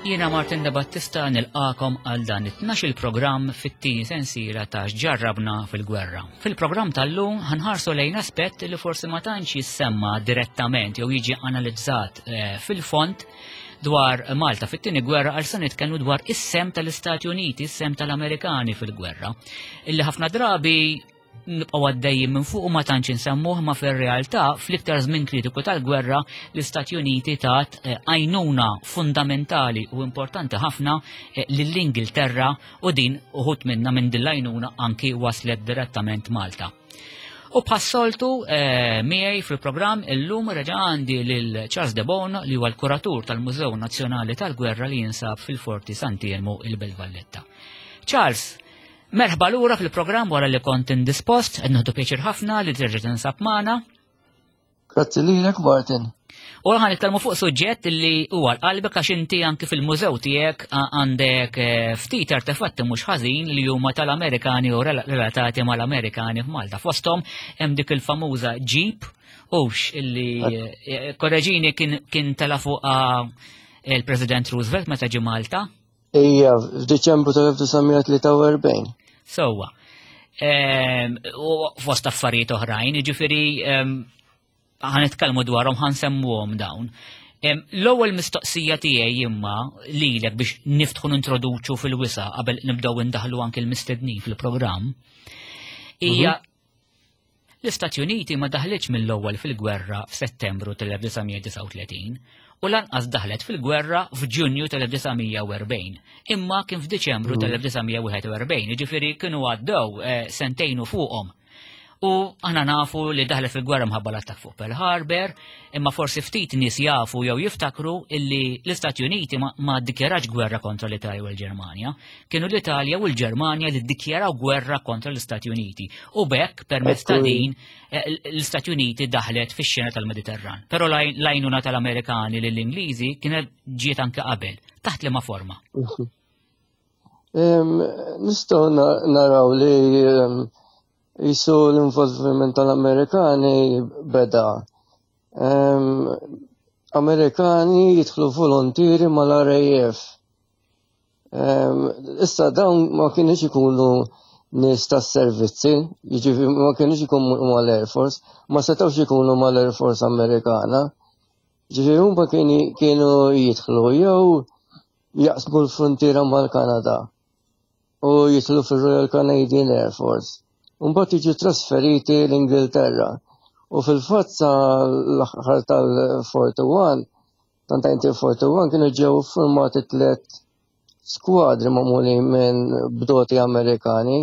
Jiena Martin De Battista nilqakom għal dan it-tnax il-programm fit-tieni sensiela ta' x'ġarrabna fil-gwerra. Fil-programm tal-lum ħanħarsu lejn aspett li forsi ma tantx jissemma direttament jew jiġi analizzat eh, fil-fond dwar Malta fit-tieni gwerra għal se nitkellmu dwar is-sem tal-Istati Uniti, is-sem tal-Amerikani fil-gwerra. Illi ħafna drabi nibqgħu għaddejjin minn fuq u ma tantx insemmuh ma fir-realtà fl-iktar żmien kritiku tal-gwerra l-Istati Uniti tat eh, għajnuna fundamentali u importanti ħafna eh, lill-Ingilterra u din uħut minna minn din l-għajnuna anki waslet direttament Malta. U bħas-soltu eh, miegħi fil-programm illum reġa' għandi lil Charles De Bono li huwa l-kuratur tal-Mużew Nazzjonali tal-Gwerra li jinsab fil-Forti Sant'Iermu il-Belt Valletta. Charles, merħba lura fil-programm wara li kont indispost, qed nieħdu pjaċir ħafna li terġa' tinsab magħna. Grazzi lilek Martin. U għan nitkellmu fuq suġġett li huwa l-qalbek għax inti anki fil-mużew tiegħek għandek eh, ftit artefatti mhux ħażin li huma tal-Amerikani u relatati mal-Amerikani f'Malta. Fosthom hemm dik il-famuża Jeep hux illi eh, korreġini kien tela fuq il-President Roosevelt meta ġie Malta. Ija, f'Diċembru tal-1943. Sewwa. Ehm, u fost affarijiet oħrajn, jiġifieri ehm, ħanitkellmu dwarhom ħansemmuhom dawn. Ehm, l-ewwel mistoqsija tiegħi imma lilek biex niftħu nintroduċu fil-wisa qabel nibdew indaħlu anke l-mistednin fil-programm hija mhm. L-Istati Uniti ma daħlitx mill-ewwel fil-gwerra f'Settembru tal-1939 u lanqas daħlet fil-gwerra f'Ġunju tal-1940, imma kien f'Diċembru mm. tal-1941, jiġifieri kienu għaddew eh, sentejn u fuqhom. U aħna nafu li daħlet fil-gwerra mħabba l-attak fuq Pearl Harbor, imma forsi ftit nies jafu jew jiftakru illi l-Istati Uniti ma, ma ddikjarax gwerra kontra l-Italja u l-Ġermanja. Kienu l-Italja u l-Ġermanja li ddikjaraw gwerra kontra l-Istati Uniti. U bekk, permezz ta' din, eh, l-Istati Uniti daħlet fix-xena tal-Mediterran. Però l-għajnuna tal-Amerikani lill-Ingliżi kienet ġiet anke qabel. Taħt liema forma? Nistgħu naraw li jisu l-involviment tal-Amerikani beda. Amerikani jidħlu volontieri mal-RAF. Issa dawn ma kienux ikunu nies tas-servizzi, jiġifieri ma kienux ikunu mal-Air Force, ma setgħux ikunu mal-Air Force Amerikana. Ġifieri huma kienu jidħlu jew jaqsmu l-frontiera mal-Kanada u jidħlu fir-Royal Canadian Air Force. Mbagħad jiġu trasferiti l-Ingilterra. U fil-fatt sa l-aħħar tal-41 ta' 1941 kienu ġew formati tlet skwadri magħmulin minn bdoti Amerikani,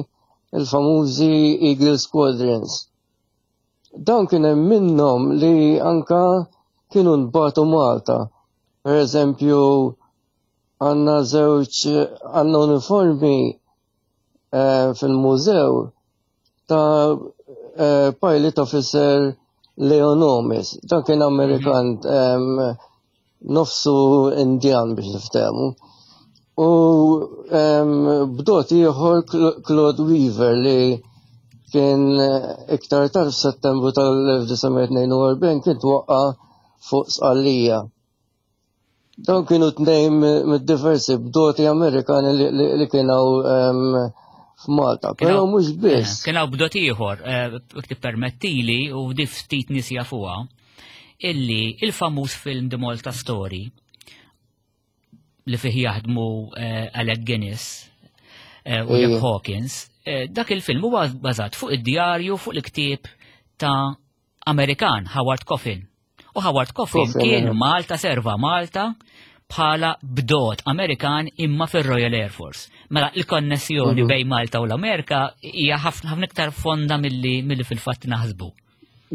il-famużi Eagle Squadrons. Dawn kien hemm minnhom li anka kienu nbatu Malta. Per eżempju, għandna żewġ għandna uniformi eh, fil-mużew ta' eh, pilot officer Leonomis. Dan kien Amerikan mhm. nofsu Indjan biex niftehmu. U bdot ieħor Claude Weaver li kien eh, iktar tard f'Settembru tal-1942 kien twaqqa fuq Sqallija. Dawn kienu tnejn mid-diversi bdoti Amerikani li kienu f'Malta, però mhux biss. Eh, kien hawn bdot ieħor, eh, tippermettili u di ftit nies jafuha, illi il-famuż film The Malta Story li fih jaħdmu eh, Alec Guinness u Jack Hawkins, dak il-film huwa bażat fuq id-djarju fuq il-ktieb ta' Amerikan Howard Coffin. U Howard Coffin kien Malta serva Malta bħala bdot Amerikan imma fir-Royal Air Force. Mela il-konnessjoni mhm. bejn Malta u l-Amerika hija ħafna iktar fonda milli milli fil-fatt naħsbu.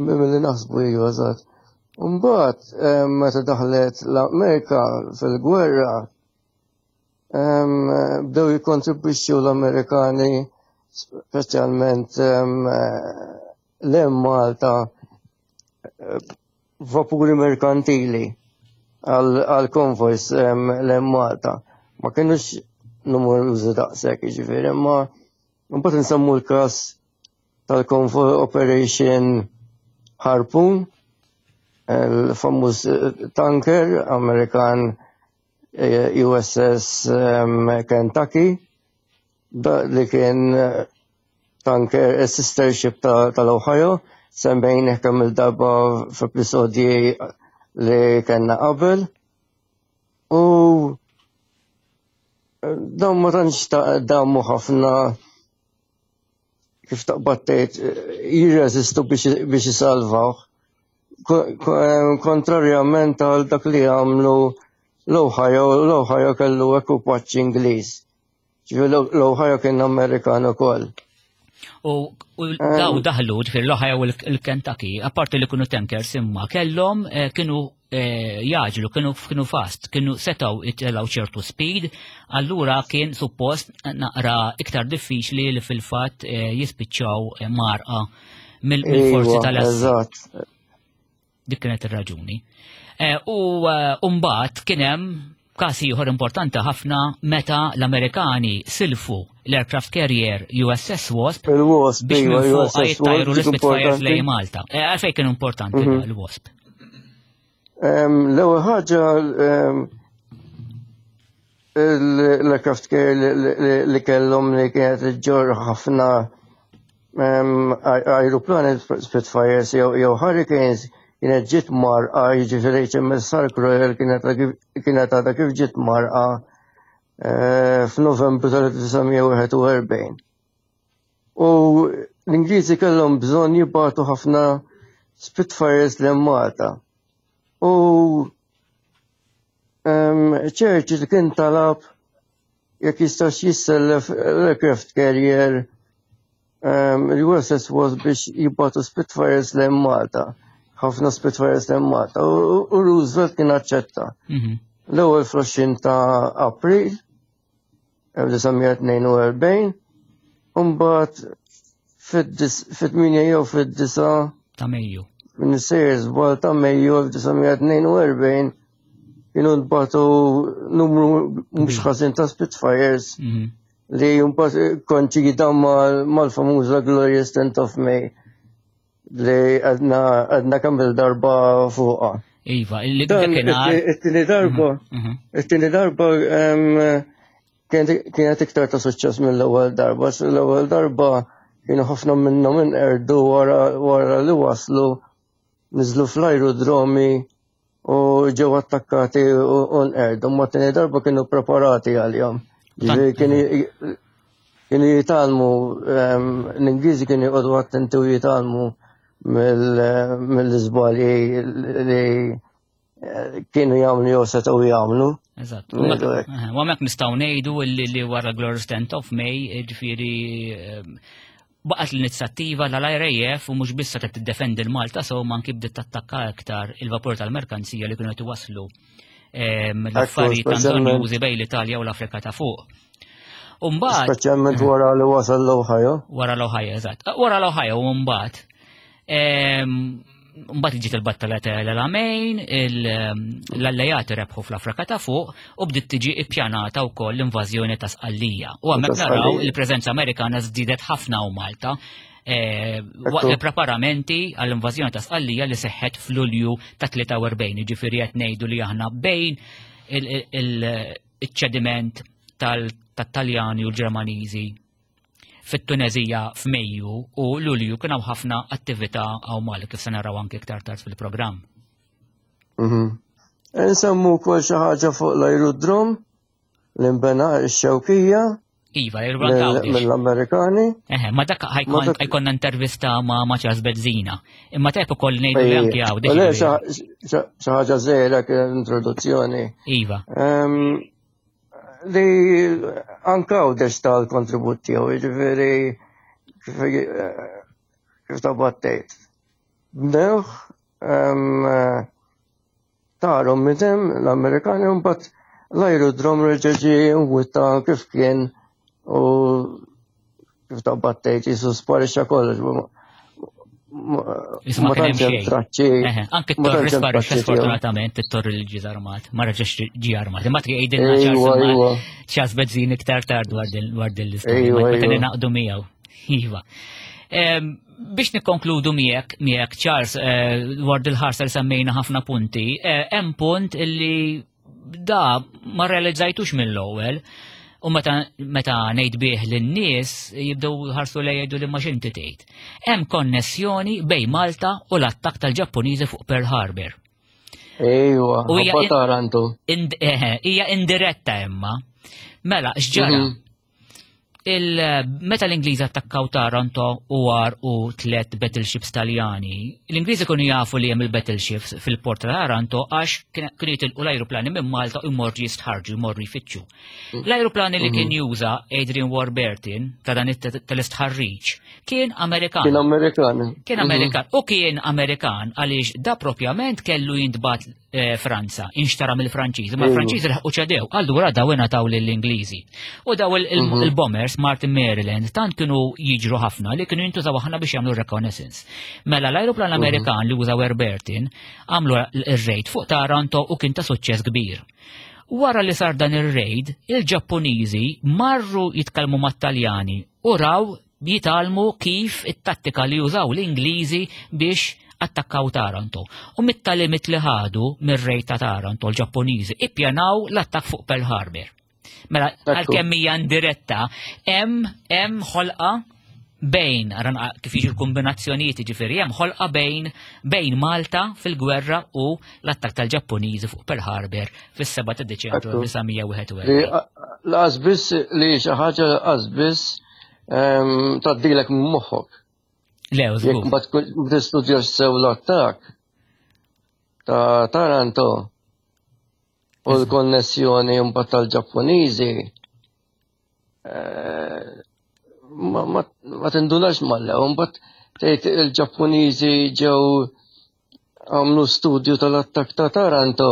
Milli naħsbu hija eżatt. Mbagħad eh, meta daħlet l-Amerika fil-gwerra bdew jikkontribwixxu l-Amerikani speċjalment l Malta vapuri merkantili għal konvojs l Malta. Ma kienux numerużi daqshekk, jiġifieri, imma mbagħad insemmu l-każ tal-Convoy Operation Harpoon, il-famuż tanker Amerikan. USS Kentucky li kien tanker sister ship tal-Ohio, semmejnih kemm il-darba f'episodji li kellna qabel. U dawn ma tantx damu ħafna kif taqbad tgħid jirreżistu biex isalvawh. Kontrarjament għal dak li għamlu l-Ohio, l-Ohio kellu ekwipaġġ Ingliż. Ġifieri l-Ohio kien Amerikan ukoll. U daw daħlu, ġifieri l-Ohio u l-Kentucky, apparti li kienu tankers imma kellhom eh, kienu eh, jaġlu, kienu kienu fast, kienu setaw itelaw ċertu speed, allura kien suppost naqra iktar diffiċli li fil-fatt eh, jispiċċaw eh, marqa mill-forzi Iva, tal-assi. Eżatt. Dik kienet ir-raġuni. U mbagħad kien hemm każ ieħor importanti ħafna meta l-Amerikani silfu l-aircraft carrier USS Wasp Il-Wasp, biex iva, minn fuq USS jittajru Wasp, dik l-Spitfires importanti. lejn Malta. Għalfejn kien importanti l-Wasp? L-ewwel ħaġa l-aircraft carrier li kellhom li kienet iġġorr ħafna ajruplani Spitfires jew Hurricanes kienet ġiet mgħarrqa, jiġifieri HMS Ark Royal kienet għadha kif ġiet mgħarrqa f'Novembru tal-1941. U l-Ingliżi kellhom bżonn jibgħatu ħafna Spitfires lejn Malta. U Churchill kien talab jekk jistax jissellef l-aircraft carrier il-USS Wasp biex jibgħatu Spitfires lejn Malta. Ħafna Spitfires lejn Malta. U Roosevelt kien aċċetta. L-ewwel fl-20 ta' April 1942, u mbagħad fit-8 jew fid-9 ta' Mejju. Minn sejjer żball ta' Mejju 1942 kienu nbagħtu numru mhux ħażin ta' Spitfires li mbagħad koinċida mal-famuża Glorious 10th of May li għedna kemm il-darba fuqha. Iva, li Dan dakinhar. it-tieni darba, it-tieni darba kienet iktar ta' suċċess mill-ewwel darba. L-ewwel darba kienu ħafna minnhom inqerdu wara li waslu niżlu fl-aerodromi u ġew attakkati u nqerdu. Ma tieni darba kienu preparati għalihom. Ġifieri kienu jitgħallmu, l-Ingliżi kienu joqogħdu attenti u jitgħallmu mill-iżbalji li kienu jagħmlu jew setgħu jagħmlu. Eżatt. Ngħidu hekk. U hemmhekk nistgħu ngħidu li wara Glorious 10th of May, ġifieri baqgħet l-inizjattiva tal-RAF u mhux biss qed tiddefendi l-Malta so ma anki bdiet tattakka aktar il-vapur tal-merkanzija li kienu qed iwasslu l-affarijiet ta' bżonn bejn l-Italja u l-Afrika ta' fuq. U mbagħad Speċjalment wara li wasal l-Ohio. Wara l-Ohio, eżatt. Wara l-Ohio u mbagħad mbagħad ġiet il-battala ta' El Alamein, l-allejati rebħu fl-Afrika ta' fuq u bdiet tiġi ippjanata wkoll l-invażjoni ta' Sqallija. U hemmhekk Ta' naraw Sqallija. il-preżenza Amerikana żdiedet ħafna u Malta waqt il-preparamenti għall-invażjoni ta' Sqallija li seħħet f'Lulju ta' 43, ġifieri qed ngħidu li aħna bejn il-ċediment tal-Taljani u l-Ġermaniżi fit-Tunezija f'Mejju u Lulju kien hawn ħafna attività hawn Malta kif se naraw anke iktar tard fil-programm. Nsemmu wkoll xi ħaġa fuq l-aerodrom li nbena x-Xewkija. Iva, l-aerodrom ta' Għawdex. Mill-Amerikani. Eħe, ma dak Ma dak ħa jkollna intervista ma' Charles Bezzina. Imma tajb ukoll ngħidu li anki Għawdex. Le, ġifieri. xi ħaġa żgħira kien introduzzjoni. Iva. Li anke Għawdex tal-kontribut tiegħu, jiġifieri kif ta' battejt. Bnewh tarom midem l-Amerikani u mbagħad l-aerodrom reġa' ġie mwitta kif kien u kif ta' battejt jisu sparixxa kollox. Isma' Ma kien hemm tantx hemm xejn. traċċi. Eħe, anke Ma t-torri tantx hemm sparixxa traċċi tiegħu. sfortunatament, it-torri li ġie armat, ma reġax ġie armat. Imma tgħidilna Charles Bezzina iktar tard dwar din l-istorja. Ma naqdu miegħu. Iva. Biex nikkonkludu miegħek Charles, dwar dil-ħarsa li semmejna ħafna punti, hemm punt illi Da ma realizzajtux mill-ewwel. U meta meta ngħid bih lin-nies jibdew ħarsu lejja jgħidu li ma x'inti tgħid. Hemm konnessjoni bejn Malta u l-attakk tal-Ġappuniżi fuq Pearl Harbor. Ejwa, U hija Taranto. Hija indiretta imma. Mela, x'ġara? Meta l-Ingliżi attakkaw Taranto u war u tlet battleships Taljani, l-Ingliżi kienu jafu li hemm il-battleships fil-port ta' Taranto għax kienu jitilqu l-ajruplani minn Malta u jmorru jistħarġu, jmorru jfittxu. L-ajruplani li kien juża Adrian Warburton ta' dan tal-istħarriġ kien Amerikan. Kien Amerikan. Kien Amerikan. U kien Amerikan għaliex da propjament kellu jintbat Franza, inxtara mill-Franċiżi, ma l-Franċiżi laħqu ċedew, allura daw ingħataw lill-Ingliżi. U daw il-bombers Martin Maryland tant kienu jiġru ħafna li kienu jintużaw aħna biex jagħmlu reconnaissance. Mela l-ajruplan Amerikan li użaw Warburton għamlu ir-raid fuq Taranto u kien ta' suċċess kbir. Wara li sar dan ir-raid, il-Ġappuniżi marru jitkellmu mat-Taljani u raw jitgħallmu kif it-tattika li użaw l-Ingliżi biex attakkaw Taranto. U mit-tagħlimiet li ħadu mir-raid ta' Taranto l-Ġappuniżi ippjanaw l-attakk fuq Pearl Harbor. Mela, għalkemm hija indiretta, hemm ħolqa bejn, ara kif jiġu l-kombinazzjonijiet, ġifieri hemm ħolqa bejn Malta fil-gwerra u l-attakk tal-Ġappuniżi fuq Pearl Harbor fis-7 ta' Deċembru 1941. Lanqas biss li xi ħaġa lanqas biss tgħaddilek minn moħħok. Le, Jekk ma tkun tistudjax sew l-attakk ta' Taranto u l-konnessjoni mbagħad tal-Ġappuniżi ma tindunax mal-ewwel, mbagħad tgħid il-Ġappuniżi ġew għamlu studju tal-attakk ta' Taranto.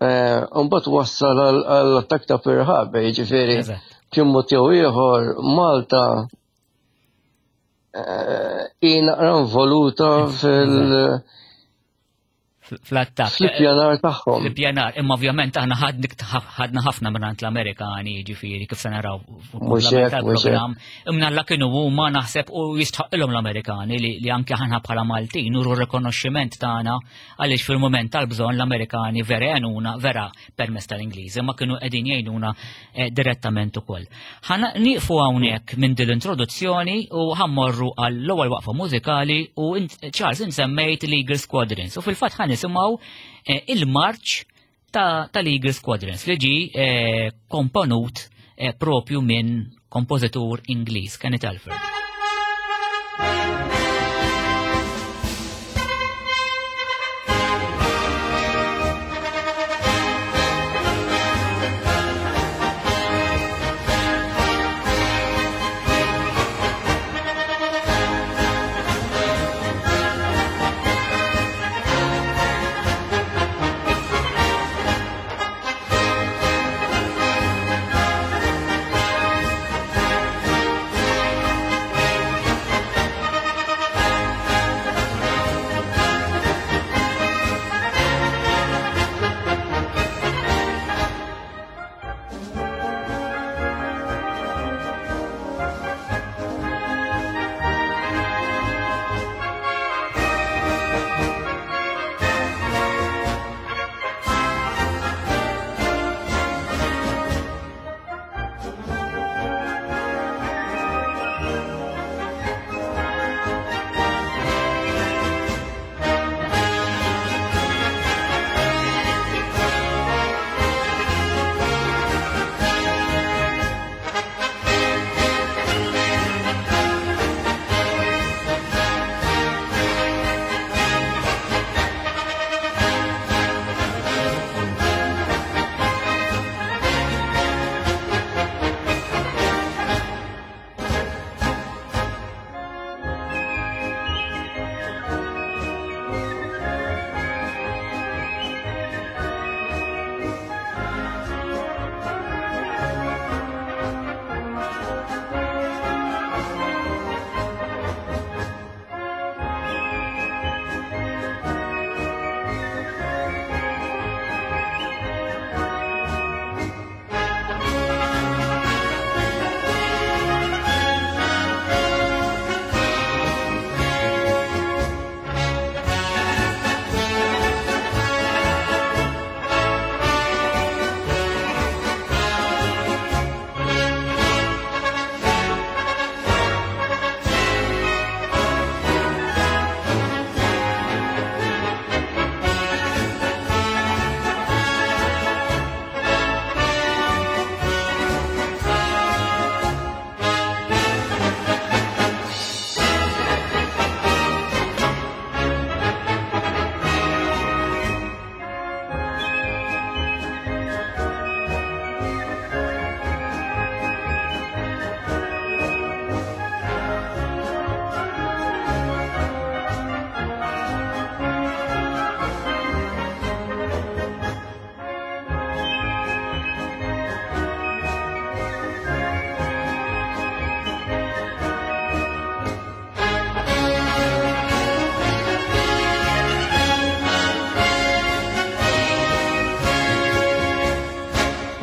Mbagħad wassal għall-attakk ta' Pearl Harbor, jiġifieri b'xi mod jew ieħor Malta hi naqra involuta fil- fl-attakk. Fl-ippjanar tagħhom. Fl-ippjanar, imma ovvjament aħna ħadna ħafna minn l-Amerikani, ġifieri kif se naraw Mhux hekk, mhux hekk. tal-programm. Imma la kienu huma naħseb u jistħoqqilhom l-Amerikani li anke aħna bħala Maltin nuru r-rikonoxximent tagħna għaliex fil-mument tal-bżonn l-Amerikani vera għenuna, vera permezz tal-Ingliżi, ma kienu qegħdin jgħinuna direttament ukoll. Ħa nieqfu hawnhekk minn din l-introduzzjoni u ħa mmorru għall-ewwel waqfa mużikali u Charles insemmejt l-Eagle Squadrons u fil-fatt ħa nisimgħu il-marċ tal-Eagle Squadrons li ġi komponut propju minn kompożitur Ingliż, Kenneth Alford.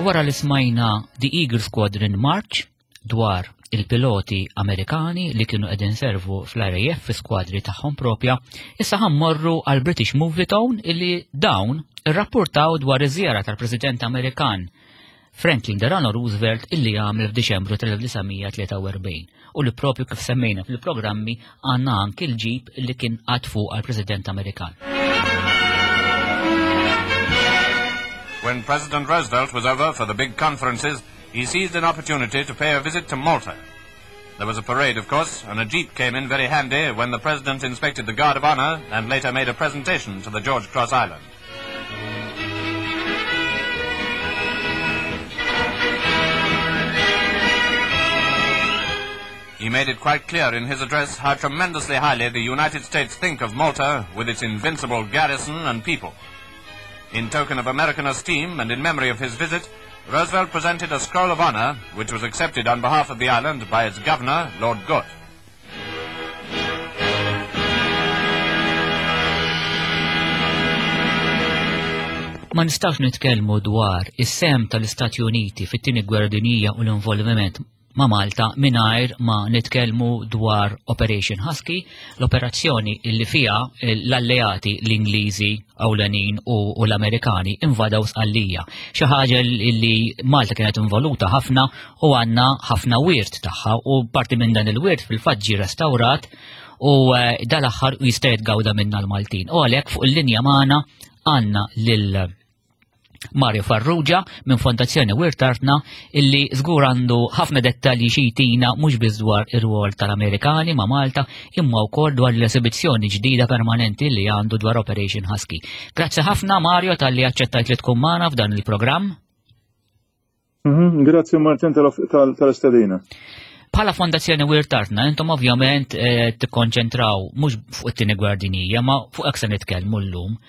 Wara li smajna The Eagle Squadron March dwar il-piloti Amerikani li kienu qegħdin servu fl-RAF fi skwadri tagħhom propja, issa ħammorru għal British Movietone illi dawn irrapportaw dwar iż-żjara tal-President Amerikan Franklin Delano Roosevelt illi għamel f'Diċembru tal-1943 u li propju kif semmejna fil-programmi għandna anki l-ġib li kien għad fuq għal-President Amerikan. When President Roosevelt was over for the big conferences, he seized an opportunity to pay a visit to Malta. There was a parade, of course, and a jeep came in very handy when the president inspected the Guard of Honor and later made a presentation to the George Cross Island. He made it quite clear in his address how tremendously highly the United States think of Malta with its invincible garrison and people. In token of American esteem and in memory of his visit, Roosevelt presented a scroll of honor, which was accepted on behalf of the island by its governor, Lord Gort. Ma nistax nitkellmu dwar is-sem tal-Istati Uniti fit-tieni gwerra dinjija u l-involviment ma' Malta mingħajr ma nitkellmu dwar Operation Husky, l-operazzjoni illi fiha l-alleati l-Ingliżi ewlenin u l-Amerikani invadaw Sqallija. Xi ħaġa li Malta kienet involuta ħafna u għandna ħafna wirt tagħha u parti minn dan il-wirt fil-fatt ġie restawrat u eh, dal-aħħar jista' jitgawda minna l-Maltin. U għalhekk fuq il-linja magħna għandna lil Mario Farrugia minn Fondazzjoni Wirt Artna illi żgur għandu ħafna dettalji xi jtina mhux biss dwar ir-rwol tal-Amerikani ma' Malta imma wkoll dwar l-esibizzjoni ġdida permanenti li għandu dwar Operation Husky. Grazzi ħafna Mario talli aċċettajt li tkun magħna f'dan il-programm. Mhm, grazzi Martin tal-istedina. Bħala Fondazzjoni Wirt Artna, intom ovvjament eh, tikkonċentraw mhux fuq it-tieni gwerra dinjija, ma fuq hekk se nitkellmu llum.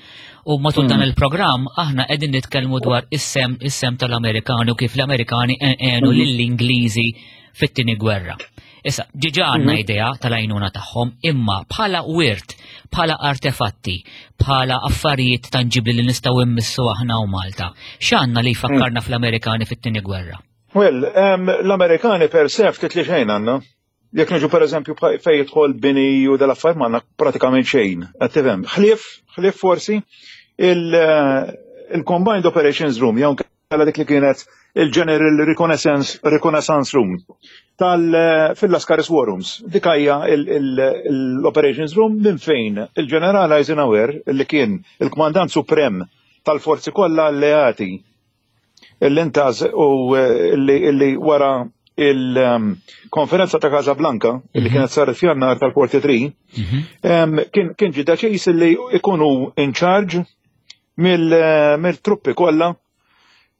U matul dan mhm. il-programm aħna qegħdin nitkellmu dwar is-sem is-sem tal-Amerikani u kif l-Amerikani għenu mhm. lill-Ingliżi fit-tieni gwerra. Issa, ġiġa għandna mhm. idea tal-għajnuna tagħhom, imma bħala wirt, bħala artefatti, bħala affarijiet tanġibli li nistgħu immissu aħna u Malta. X'għandna li jfakkarna mm. fl-Amerikani fit-tieni gwerra? Well, l-Amerikani per se ftit li xejn għandna. Jekk niġu per eżempju fejn jidħol bini u dal-affarijiet m'għandna pratikament xejn. Qed tifhem. Ħlief, ħlief forsi eh, il-Combined Operations Room, jew għala dik li kienet il-General Reconnaissance, Reconnaissance Room tal eh, fil-Lascaris War Rooms. Dik hija l-Operations Room minn fejn il-Ġeneral Eisenhower li kien il-Kmandant Suprem tal-forzi kollha alleati l-intaz u eh, li wara il-konferenza ta' Casablanca li mhm. kienet saret f'jannar tal-43 mhm. kien ġi deċiż li ikunu in charge mill-truppi kollha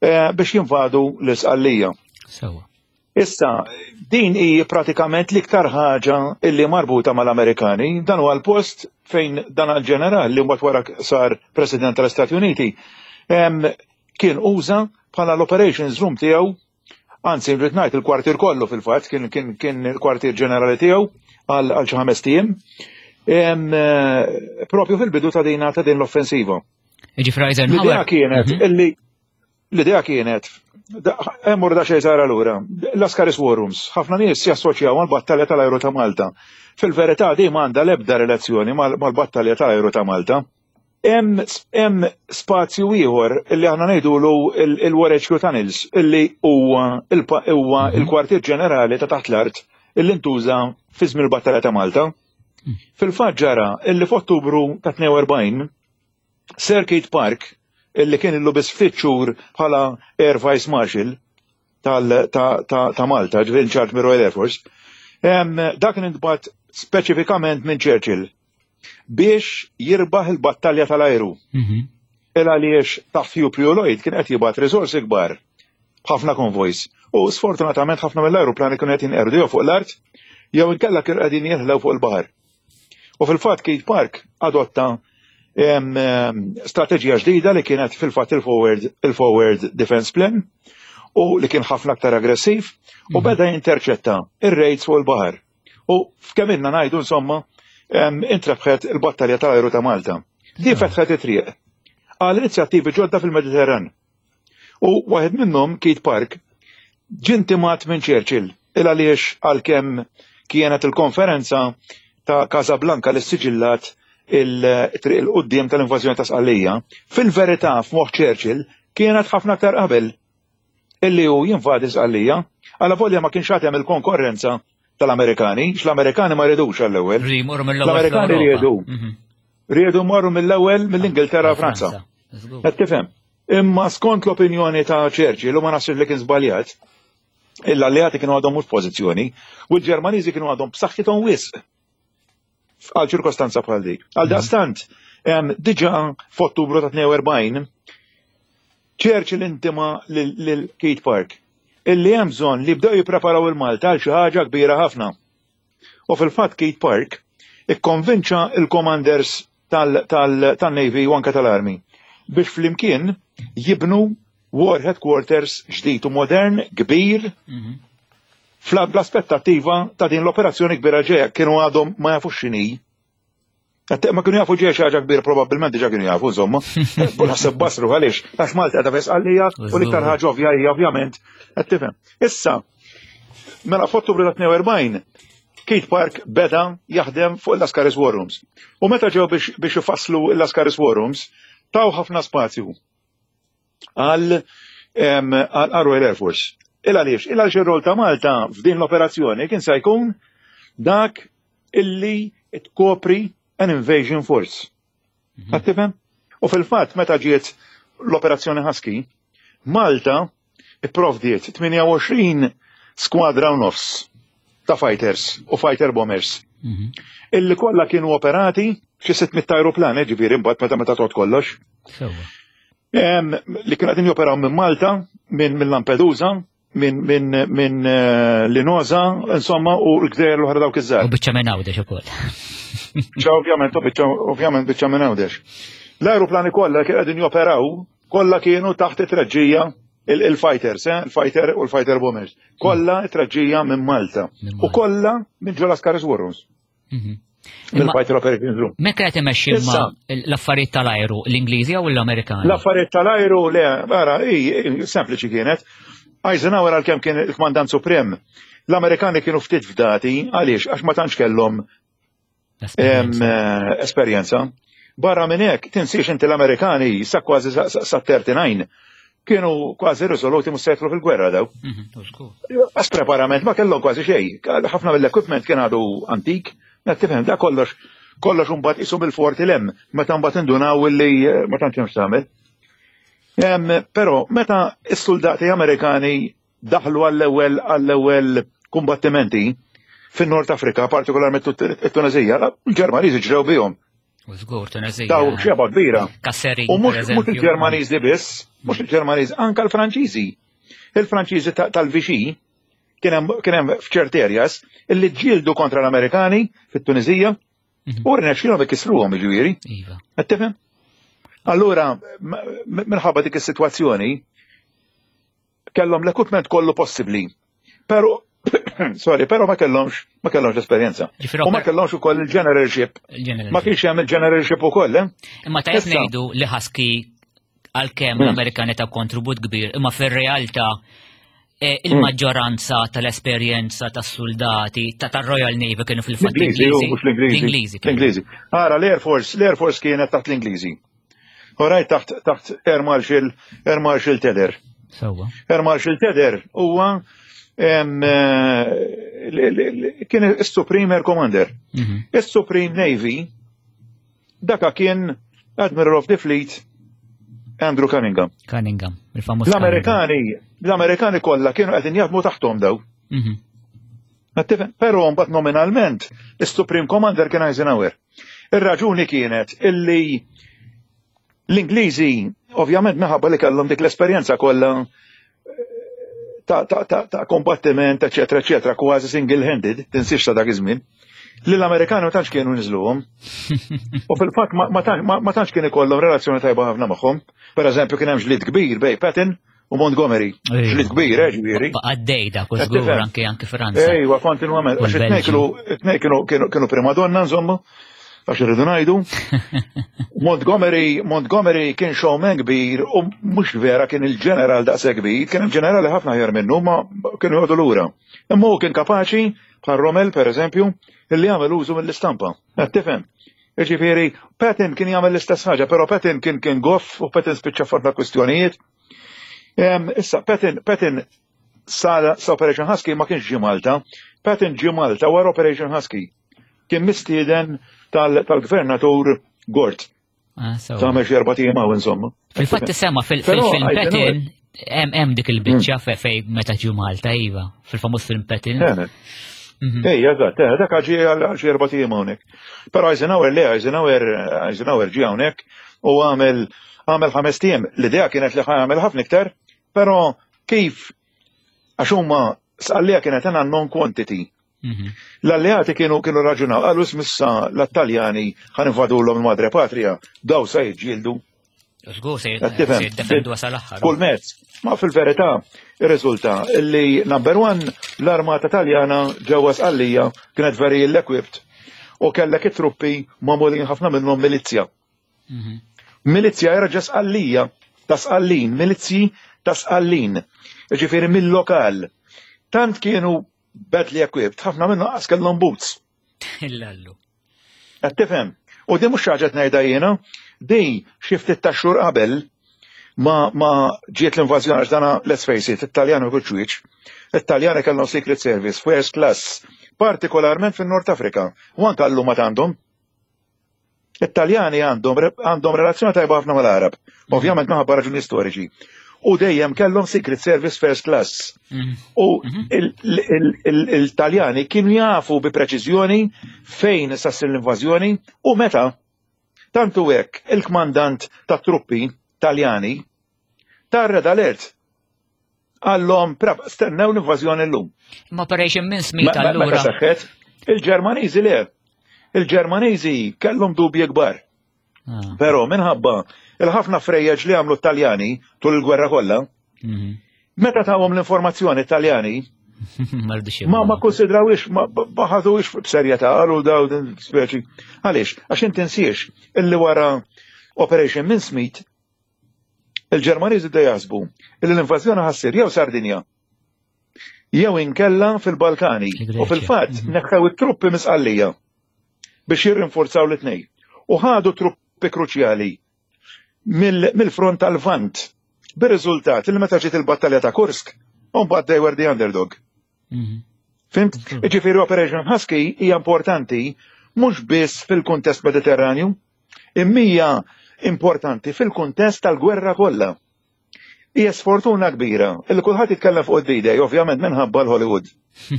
eh, biex jinvadu l-Isqallija. Sewa. Issa, din hi pratikament l-iktar ħaġa illi marbuta mal-Amerikani, dan huwa l-post fejn dan għal-ġeneral li mbagħad wara sar President tal-Istati Uniti kien uża bħala l-operations room tiegħu Anzi, rrid ngħid il-kwartier kollu fil-fatt kien kien kien il-kwartier ġenerali tiegħu għal xi ħames ijiem. Eh, propju fil-bidu ta' din ta' din l-offensiva. Ġifra Eisenhower. L-idea kienet mhm. illi l-idea kienet Emmur da xejn sara lura. L-Askaris War Rooms, ħafna nies jassoċjaw mal-battalja tal-ajru ta' Malta. Fil-verità di m'għandha l-ebda relazzjoni mal-battalja tal-ajru ta' Malta. Hemm spazju ieħor li aħna ngħidulu il-War HQ Tunnels illi huwa huwa mhm. il-kwartier ġenerali ta' taħt l-art illi ntuża fi żmien il-Battalja ta' Malta. Mm. Fil-fatt ġara illi f'Ottubru ta' 42 Sir Keith Park illi kien illu biss ftit xhur bħala Air Vice Marshal ta' Malta, ġifieri in charge mir-Royal Air Force, dak kien intbagħat speċifikament minn Churchill biex jirbaħ il-battalja tal-ajru. Mhm. Il għaliex taħt Hugh Prio Lloyd kien qed jibgħat riżorsi kbar b'ħafna konvojs. U sfortunatament ħafna mill-ajruplani kienu qed jinqerdu jew fuq l-art jew inkella kienu qegħdin jinħlew fuq il-baħar. U fil-fatt Keith Park adotta strateġija ġdida li kienet fil-fatt il-forward il-forward defense plan u li kien ħafna aktar aggressiv u mhm. beda jinterċetta ir-raids fuq il-baħar. U f'kemm ilna ngħidu insomma intrebħet il-battalja tal-ajru ta' Malta. Di fetħet it-triq għal inizjattivi ġodda fil-Mediterran. U waħed minnhom, Keith Park, ġie intimat minn Churchill il għaliex għalkemm kienet il-konferenza ta' Casablanca li ssiġillat il-triq 'il quddiem tal-invażjoni ta' Sqallija, fil-verità f'moħħ Churchill kienet ħafna aktar qabel illi hu jinvadi Sqallija, alavolja ma kienx għad hemm il-konkorrenza tal-Amerikani, x'l-Amerikani ma ridux għall-ewwel. L-Amerikani riedu. Mhm. Riedu marru mill-ewwel mill-Ingilterra Franza. Qed tifhem? Imma skont l-opinjoni ta' Churchill u ma naħsibx li kien żbaljat, l-alleati kienu għadhom mhux pożizzjoni u l-Ġermaniżi kienu għadhom b'saħħithom wisq għal ċirkostanza bħal dik. Għal mhm. daqstant, diġa f'Ottubru ta' 42, Churchill intima lil Keith Park illi hemm bżonn li bdew jippreparaw il-Malta għal xi ħaġa kbira ħafna. U fil-fatt Keith Park ikkonvinċa il-commanders tal-Navy u anke tal-Army biex flimkien jibnu War Headquarters ġdid u modern, kbir, mhm. fl-aspettattiva ta' din l-operazzjoni kbira ġeja kienu għadhom ma jafux x'inhi. Ma kienu jafu ġeja xi ħaġa kbira probabbilment diġà kienu jafu insomma. U naħseb basru għaliex għax Malta qiegħda f'Sqallija u l-iktar ħaġa ovvja hija ovvjament qed tifhem. Issa, mela f'Ottubru ta' 42 Keith Park beda jaħdem fuq il-Lascaris War Rooms. U meta ġew biex ifasslu l-Lascaris War Rooms, taw ħafna spazju għal Royal Air Force. Il għaliex? Il għaliex ir-rol ta' Malta f'din l-operazzjoni kien se jkun dak illi tkopri an invasion force. Mhm. Qed tifhem? U fil-fatt meta ġiet l-operazzjoni Husky, Malta ipprovdiet 28 skwadra u nofs ta' fighters u fighter bombers. Mhm. Illi kollha kienu operati xi 600 aeroplan, eh, ġifieri mbagħad meta meta tot kollox. Li kienu qegħdin joperaw minn Malta, minn Lampedusa, minn min, min eh, Linoza, insomma, u l-gżejjer l-oħra dawk iż-żgħar. U biċċa minn Għawdex ukoll. Biċċa ovvjament, u biċċa ovvjament biċċa minn Għawdex. L-ajruplani kollha kienu qegħdin joperaw, kollha kienu taħt it-treġġija il-fighters, eh, il-fighter u l-fighter bombers. Kollha it-treġġija minn Malta. U kollha minn ġola Scaris Warrooms. Mhm. Mill-Fighter Operations Room. Mekka qed imexxi l-affarijiet tal-ajru, l-Ingliżi jew l-Amerikani? L-affarijiet tal-ajru le, ara, sempliċi kienet. Eisenhower għalkemm kien il-kmandant suprem, l-Amerikani kienu ftit fdati, għaliex għax ma tantx kellhom eh, esperjenza. Barra minn hekk, tinsiex inti l-Amerikani sa kważi sa 39 kienu kważi risoluti mhux se jidħlu fil-gwerra daw. Mhm, Għas preparament ma kellhom kważi xejn. Ħafna mill-equipment kien għadu antik, ma tifhem da kollox kollox imbagħad isu bil-forti lem, meta mbagħad indunaw illi eh, ma tantx hemm tagħmel. Però meta s-soldati Amerikani daħlu għall-ewwel għall-ewwel kumbattimenti fin-Nord Afrika, partikolarment it-Tunezija, l-Ġermaniżi ġrew bihom. U żgur Tunezija. Daw xeba kbira. Kasseri. U mhux il-Ġermaniżi biss, mhux il-Ġermaniżi, anka l-Franċiżi. Il-Franċiżi tal-Vichy kien hemm f'ċerti areas illi ġġieldu kontra l-Amerikani fit-Tunizija mhm. u rnexxielhom ikissruhom jiġifieri. Iva. Qed tifhem? Allura minħabba dik is-sitwazzjoni kellhom l-equipment kollu possibbli. Pero sorry, pero ma kellhomx ma kellhomx esperjenza. U ma kellhomx ukoll il-generalship. Ma kienx hemm il-generalship ukoll, eh? Imma tajjeb ngħidu li Husky għalkemm hmm. l-Amerikani ta' kontribut kbir, imma fir-realtà eh, hmm. il-maġġoranza tal-esperjenza tas-soldati ta' tar-Royal Navy kienu fil-fatt l-Ingliżi. L-Ingliżi. L-Ingliżi. Ara l-Air Force, l-Air Force kienet taħt l-Ingliżi. Oraj taħt taħt Air Marshal Air Marshal Tedder. Sewwa. Air Marshal Tedder huwa eh, kien is-Supreme Air Commander. Mhm. Is-Supreme Navy daka kien Admiral of the Fleet Andrew Cunningham. Cunningham, il-famuż. L-Amerikani, l-Amerikani kollha kienu qegħdin jaħdmu taħthom daw. Mhm. Però mbagħad nominalment is-Supreme Commander kien Eisenhower. Ir-raġuni kienet illi l-Ingliżi ovvjament minħabba li kellhom dik l-esperjenza kollha ta', ta, ta, ta kombattiment, eċetera, eċetera, kważi single-handed, tinsiex ta' dak iż-żmien, li l-Amerikani ma tantx kienu niżluhom. U fil-fatt ma tantx kien ikollhom relazzjoni tajba ħafna magħhom. Per eżempju kien hemm ġlied kbir bej Patton u Montgomery. Ġlied kbir, eh, ġifieri. Għaddej dak u żgur anke anke Franza. Ejwa, kontinwament. Għax it-tnejn kienu kienu primadonna, insomma. għax irridu ngħidu. Montgomery, Montgomery kien showman kbir u mhux vera kien il-ġeneral daqshekk kbir, kien hemm ġenerali ħafna aħjar minnu ma kienu jgħodu lura. Imma hu kien kapaċi bħal Rommel pereżempju illi jagħmel użu mill-istampa. Qed tifhem? Jiġifieri Patton kien jagħmel l-istess ħaġa, però Patton kien kien goff u Patton spiċċa f'ħafna kwistjonijiet. Issa Patton Patton sa Operation Husky ma kienx ġie Malta. Patton ġie Malta wara Operation Husky. Kien mistieden tal-gvernatur Gort. Ah, Tagħmel xi erba' ijiem hawn insomma. Fil-fatt sema fil-film Patton hemm dik il-biċċa hmm. fej meta ġew Malta iva, fil-famuż film Patton. Mhm. Ejja, eżatt, eh, dak ġie għal xi erba' ijiem hawnhekk. Però Eisenhower le, Eisenhower Eisenhower ġie hawnhekk u għamel għamel ħames ijiem. L-idea kienet li għamel ħafna iktar, però kif għax huma sqallija kienet għandna non quantity. Mhm. L-alleati kienu kienu raġunaw, qalu smissa l-Taljani ħan invadulhom il-Madre Patria, daw se jiġġieldu. Żgur se jiddefendu sal-aħħar. Kull mezz. Ma fil-verità, irriżulta li number one, l-armata Taljana ġewwa Sqallija kienet very ill-equipped u kellek it-truppi magħmulin ħafna minnhom milizja. Mhm. Milizja jerġa' Sqallija ta' Sqallin, milizji ta' Sqallin. Ġifieri mill-lokal. Tant kienu badly equipped, ħafna minnu qas kellhom boots. Illallu. Qed tifhem? U di mhux ħaġa ngħidha jiena, di xi ftit ta' xhur qabel ma ma ġiet l-invażjoni għax dana let's face it, it-Taljani ma jkunx wieċ. It-Taljani kellhom Secret Service first class, partikolarment fin-Nord Afrika, u anke llum għad għandhom. It-Taljani għandhom għandhom relazzjoni tajba ħafna mal-Arab, mm. ovvjament minħabba raġuni storiċi. U dejjem kellhom Secret Service First Class. Mm. U mm-hmm. il-Taljani kienu jafu bi preċiżjoni fejn sa ssir l-invażjoni u meta. Tantu hekk il-kmandant tat truppi Taljani ta' red alert Għallhom, stennew l-invażjoni llum. Imma Operation Mincemeat allura. Meta seħħet, il-Ġermaniżi le. Il-Ġermaniżi kellhom dubji kbar. Ah. Però minħabba il-ħafna frejjeġ li għamlu t-Taljani tul il-gwerra kollha, mhm. meta tawhom l-informazzjoni t-Taljani, ma ma konsidrawix, ma ħaduwix b'serjetà għalu daw din speċi. Għaliex, għax inti nsiex illi wara Operation Mincemeat Il-Ġermaniżi bdew jaħsbu li l-invażjoni ħassir jew Sardinja jew inkella fil-Balkani. U fil-fatt mhm. neħħew it-truppi misqallija biex jirrinforzaw l-tnej. U ħadu truppi kruċjali mill-front tal-Vant. Bir-riżultat li meta ġiet il-battalja ta' Kursk, mbagħad they were the underdog. Mhm. Fimt? Mhm. Ġifieri Operation Husky hija importanti mhux biss fil-kuntest Mediterranju, imma hija importanti fil-kuntest tal-gwerra kollha. Hija sfortuna kbira illi kulħadd jitkellem fuq id-D-Day, ovvjament minħabba l-Hollywood.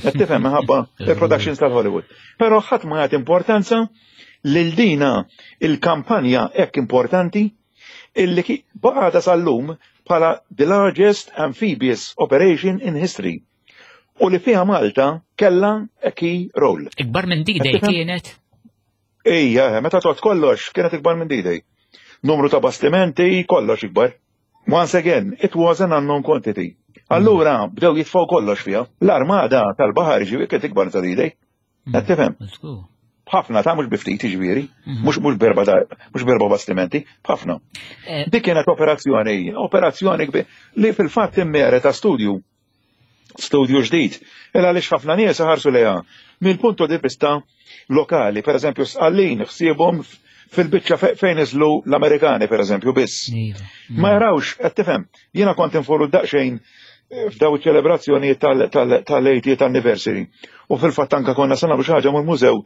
Qed tifhem minħabba il-productions tal-Hollywood. Però ħadd ma jagħti importanza lil dina il-kampanja hekk importanti illi baqgħet sal-lum bħala the largest amphibious operation in history u li fiha Malta kellha a key role. Ikbar minn D-Day kienet? Ejja, eh, meta tot kollox kienet ikbar minn D-Day. Numru ta' bastimenti, kollox ikbar. Once again, it was an unknown quantity. Allura bdew jitfgħu kollox fiha. L-armada tal-baħar ġifieri kienet ikbar ta' D-Day. Mm. Qed tifhem? B'ħafna ta' mhux bi ftit jiġifieri, mm. mhux mhux berba mhux berba bastimenti, b'ħafna. Eh. Dik kienet operazzjoni, operazzjoni li fil-fatt immereta studju studju ġdid. Il għaliex ħafna nies ħarsu lejha mill-punto di vista lokali, per eżempju sqallin ħsiebhom fil-biċċa fejn niżlu l-Amerikani per eżempju biss. Iva. Ma jarawx, qed tifhem, jiena kont inforu daqsxejn eh, f'daw iċ-ċelebrazzjoni tal-80th anniversary. U fil-fatt anka konna se nagħmlu xi ħaġa mal-mużew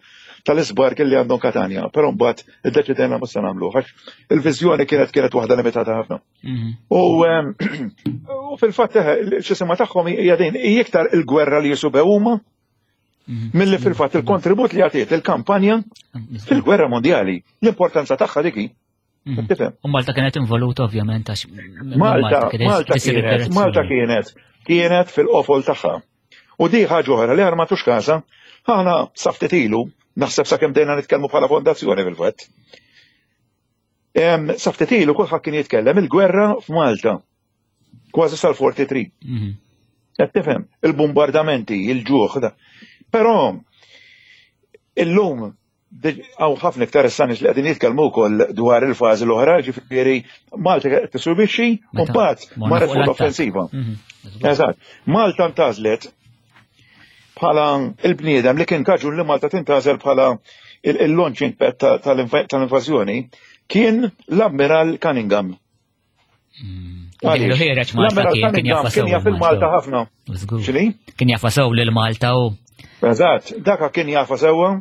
tal-isbark li għandhom Katanja, però mbagħad iddeċidejna ma se nagħmlu għax il-viżjoni kienet kienet waħda limitata ħafna. Mhm. U fil-fatt eh, x'isima tagħhom hija din hija iktar il-gwerra li jisubew huma mhm. milli fil-fatt il-kontribut li għatiet il-kampanja mhm. fil-gwerra mondjali. L-importanza tagħha dik hi. Tifhem? U Malta kienet involuta ovvjament għax Malta Malta kienet Malta kienet kienet fil-qofol tagħha. U di ħaġa oħra li għar matux każa, aħna sa ftit ilu, naħseb sakemm dejna nitkellmu bħala fondazzjoni fil-fatt. Sa ftit ilu kulħadd kien jitkellem il-gwerra f'Malta. Kważi sal-43. Mhm. Qed tifhem, il-bombardamenti, il-ġuħ. Però illum Hawn ħafna iktar issa nies li qegħdin jitkellmu wkoll dwar il-fażi l-oħra, ġifieri Malta qed tisubixxi u mbagħad marret fuq l-offensiva. Mhm. Eżatt. Malta ntażlet bħala il-bniedem li kien kaġun li Malta tintażel bħala il-launching pad tal-invażjoni kien l-Ammiral Cunningham. Mm. L-Ammiral Cunningham kien jaf il-Malta ħafna. Kien jafa sew lil Malta u. Eżatt, daka kien jafa sewwa,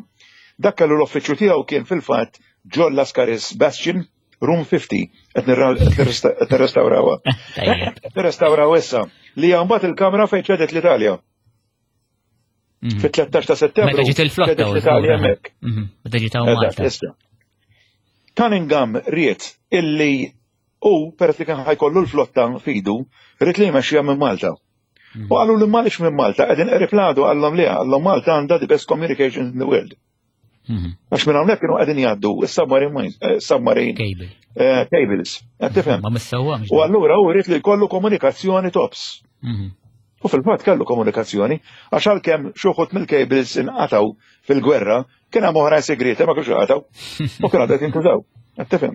dak kellu l-uffiċċju tiegħu kien fil-fatt ġol Lascaris Bastion, Room 50, qed nirrestawrawha. Nirrestawraw issa li hija mbagħad il-kamra fejn ċedet l-Italja. Mhm. Fit-13 ta' settembru. Meta ġiet il-flotta l-Italja hemmhekk. Mhm. Meta ġiet hawn Malta. Cunningham ried illi u peress li kien ħajkollu l-flotta fidu, ried li jmexxija minn Malta. Mhm. U qalu li malix minn Malta, qegħdin qrib l-għadu qallhom li qallhom Malta għandha the best communication in the world. Mhm. Għax minn hawnhekk kienu qegħdin jgħaddu is-submarine eh, submarine Cable. Eh, cables. Qed tifhem? Ma missewwa. U allura hu jrid li jkollu komunikazzjoni tops. Mhm. U fil-fatt kellu komunikazzjoni, għax għalkemm xi wħud mill-cables inqataw fil-gwerra, kien hemm oħrajn segreti ma kienx inqataw. U kienu għadha jintużaw. Qed tifhem?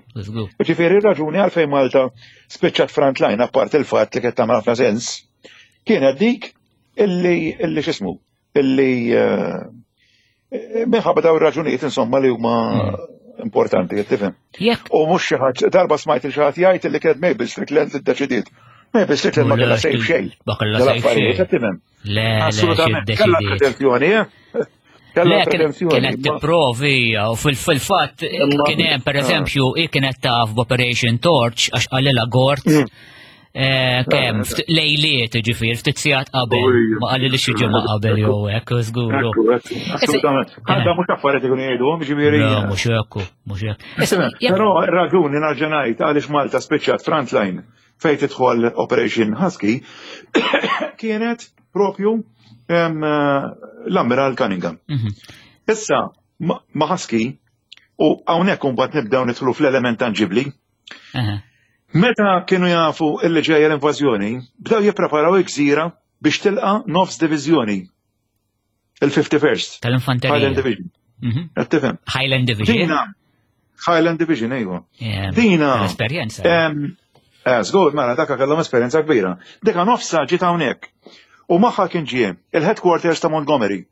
Ġifieri raġuni għalfejn Malta spiċċat frontline apart il-fatt li kienet tagħmel ħafna sens, kienet dik illi illi x'ismu illi eh, minħabba daw ir-raġunijiet insomma li huma hmm. importanti, qed tifhem. U mhux xi ħadd darba smajt il xi ħadd jgħid li kienet Mabel Strickland li ddeċidiet. Mabel Strickland ma kellha sejf xejn. Ma kellha sejf xejn. Le, assolutament. Kellha pretenzjoni, eh? Kellha pretenzjoni. Kienet tipprovi u fil-fatt kien hemm pereżempju hi kienet taf b'Operation Torch għax qalilha Gort. Hmm. Eh, kemm lejliet ġifier ftit sigħat qabel ma qalli li xi ġimgħa qabel jew hekk żguru. Assolutament. Għandha mhux affarijiet ikunu jgħiduhom ġifieri. Mhux hekk, mhux hekk. Però raġuni narġa' ngħid għaliex Malta spiċċat frontline fejn tidħol Operation Husky kienet propju l-Ammiral Cunningham. Mhm. Issa ma' Husky u hawnhekk imbagħad nibdew nidħlu fl-element tanġibli. Meta kienu jafu illi ġejja l-invażjoni, bdew jippreparaw il-gżira biex tilqa' nofs diviżjoni. Il-51st. Tal-infanterija. Highland Division. Mhm. Qed tifhem? Highland Division. Dina. Highland Division, ejwa. Dina. Esperjenza. Eh, żgur, mela daka kellhom esperjenza kbira. Dika nofsa ġiet hawnhekk. U magħha kien ġie il-headquarters ta' Montgomery.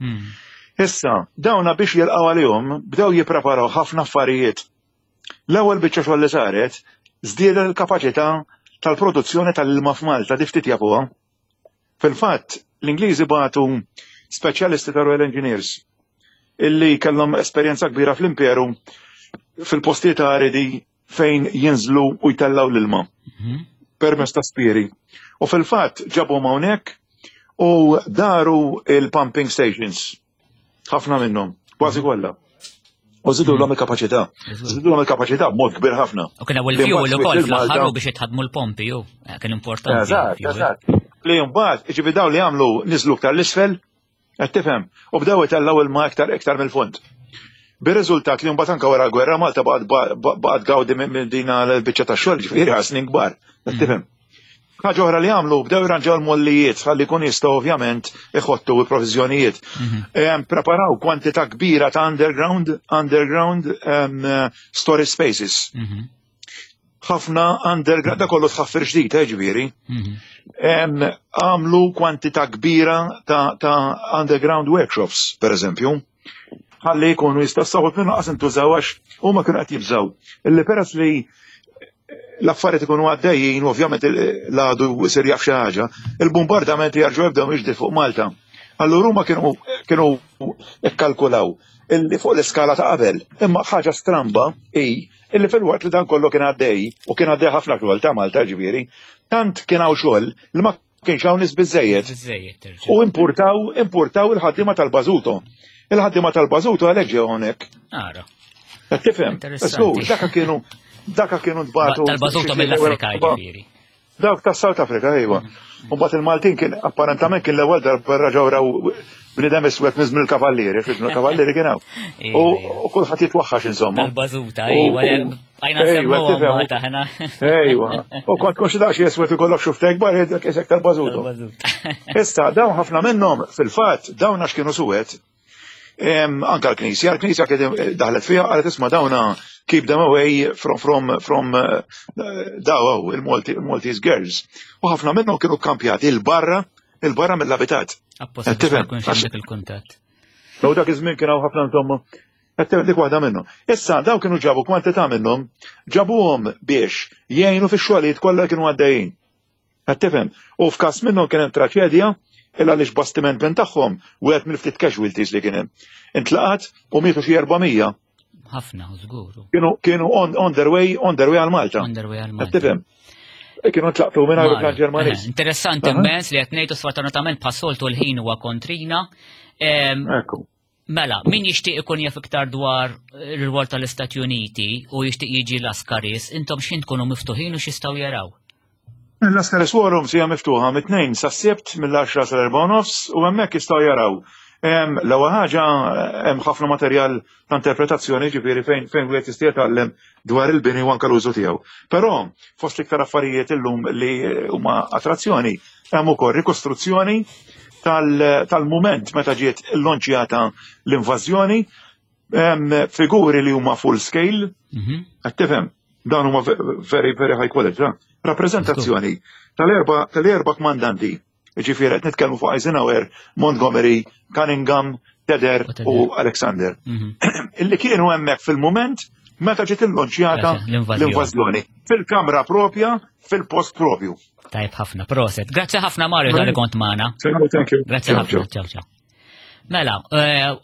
Hmm. Issa, dawna biex jilqgħu għalihom bdew jippreparaw ħafna affarijiet. L-ewwel biċċa xogħol li saret, żdiedet il-kapaċità tal-produzzjoni tal-ilma f'Malta, di ftit jafuha. Fil-fatt, l-Ingliżi bagħtu speċjalisti ta' Royal Engineers illi kellhom esperjenza kbira fl-imperu fil-postijiet aridi fejn jinżlu u jtellgħu l-ilma mhm. permezz ta' spiri. U fil-fatt ġabhom hawnhekk u daru il-pumping stations. Ħafna minnhom, kważi mhm. kollha. U zidu l-om il-kapacità. Zidu l-om il-kapacità b'mod kbir ħafna. U kien il fuel ukoll fl-aħħar biex jitħadmu l-pompi, ju. Eh, kien importanti. Eżatt, eżatt. Li mbagħad, ġifi daw li għamlu niżlu iktar l-isfel, qed tifhem, u bdew itellgħu ilma iktar iktar mill-fond. Bir-riżultat li mbagħad anke wara l-gwerra Malta baqgħet gawdi minn din l-biċċa tax-xogħol ġifieri għal snin kbar, qed mm. tifhem. Ħaġa oħra li għamlu bdew jirranġaw l-mollijiet ħalli jkun jistgħu ovvjament iħottu l-proviżjonijiet. Mhm. Preparaw kwantità kbira ta' underground underground storage spaces. Mhm. Ħafna underground, da kollu tħaffir ġdid, eh, ġifieri. Mhm. Għamlu kwantità kbira ta' underground workshops, per eżempju ħalli jkunu jistgħu saħut minnu qas intużaw għax huma kienu qed jibżgħu. Illi peress li l-affarijiet ikunu għaddejjin, ovvjament l-għadu jsir jaf xi ħaġa, il-bombardamenti jarġgħu jibdew jiġdi fuq Malta. Allura huma kienu kienu ikkalkulaw illi fuq l-iskala ta' qabel. Imma ħaġa stramba hi illi fil-waqt li dan kollu kien għaddej u kien għaddej ħafna xogħol ta' Malta ġifieri, tant kien hawn xogħol li ma kienx hawn nies biżejjed. U importaw, importaw il-ħaddiema tal-Bażuto. Il-ħaddiema tal-Bażuto għalhekk ġew hawnhekk. Ara. Qed tifhem? Żgur, daka kienu daka kienu tbatu. Tal-Bażuto mill-Afrika ġifieri. Dawk tas South Africa, ejwa. U mbagħad il-Maltin kien apparentament kien l-ewwel darba raġgħu raw bniedem iswed minn żmien il-kavallieri, fi żmien il-kavallieri kien hawn. U kulħadd jitwaħħax insomma. Tal-bażuta, ejwa, għajna semmu taħna. Ejwa. U kont kont xi daqs jeswed ikollok xuftek bar jgħidlek isek tal-bażuta. Issa dawn ħafna minnhom fil-fatt dawn għax kienu suwed. Anka l-Knisja, l-Knisja kien daħlet fiha qalet isma' dawna keep them away from daw il-Maltese girls. U ħafna minnhom kienu kkampjati il-barra il-barra mill-abitat. Apposta biex ma jkunx hemm dak il-kuntatt. Daw dak iż-żmien kien hawn ħafna insomma. Qed dik waħda minnhom. Issa daw kienu ġabu kwantità minnhom, ġabuhom biex jgħinu fix-xogħlijiet kollha kienu għaddejjin. Qed tifhem? U f'każ minnhom kien hemm traċedja il għaliex bastiment minn tagħhom wieħed mill-ftit casualties li kien hemm. Intlaqat u mietu xi 400. Ħafna, żgur. Kienu on their way, on their way għal Malta. On their way għal Malta. Qed tifhem? E kienu ntlaqtu minn aeroplan Ġermaniż. Interessanti immens li qed ngħidu sfortunatament bħas-soltu l-ħin huwa kontrina. Ekku. Mela, min jixtieq ikun jaf iktar dwar ir-rwol tal-Istati Uniti u jixtieq jiġi Lascaris, intom x'in tkunu miftuħin u x'jistgħu jaraw? Lascaris War Rooms hija miftuħa mit-Tnejn sas-Sibt mill-10 sal-4 nofs u hemmhekk jistgħu jaraw. L-ewwel ħaġa hemm ħafna materjal ta' interpretazzjoni ġifieri fejn fejn wieħed jista' jitgħallem dwar il-bini u anke l-użu tiegħu. Però fost l-iktar affarijiet illum li huma attrazzjoni hemm ukoll rikostruzzjoni tal-mument meta ġiet illonċjata l-invażjoni, figuri li huma full scale, qed tifhem, dawn huma very, very high quality. Rappreżentazzjoni tal-erba' kmandanti, ġifieri qed nitkellmu fuq Eisenhower, Montgomery, Cunningham, Tedder u Alexander. Illi kienu hemmhekk fil-mument meta ġiet illonċjata l-invażjoni fil-kamra propja, fil-post propju. Tajb ħafna, proset. Grazzi ħafna Mario tal-li kont magħna. Thank you. Grazzi ħafna, ciao ciao. Mela,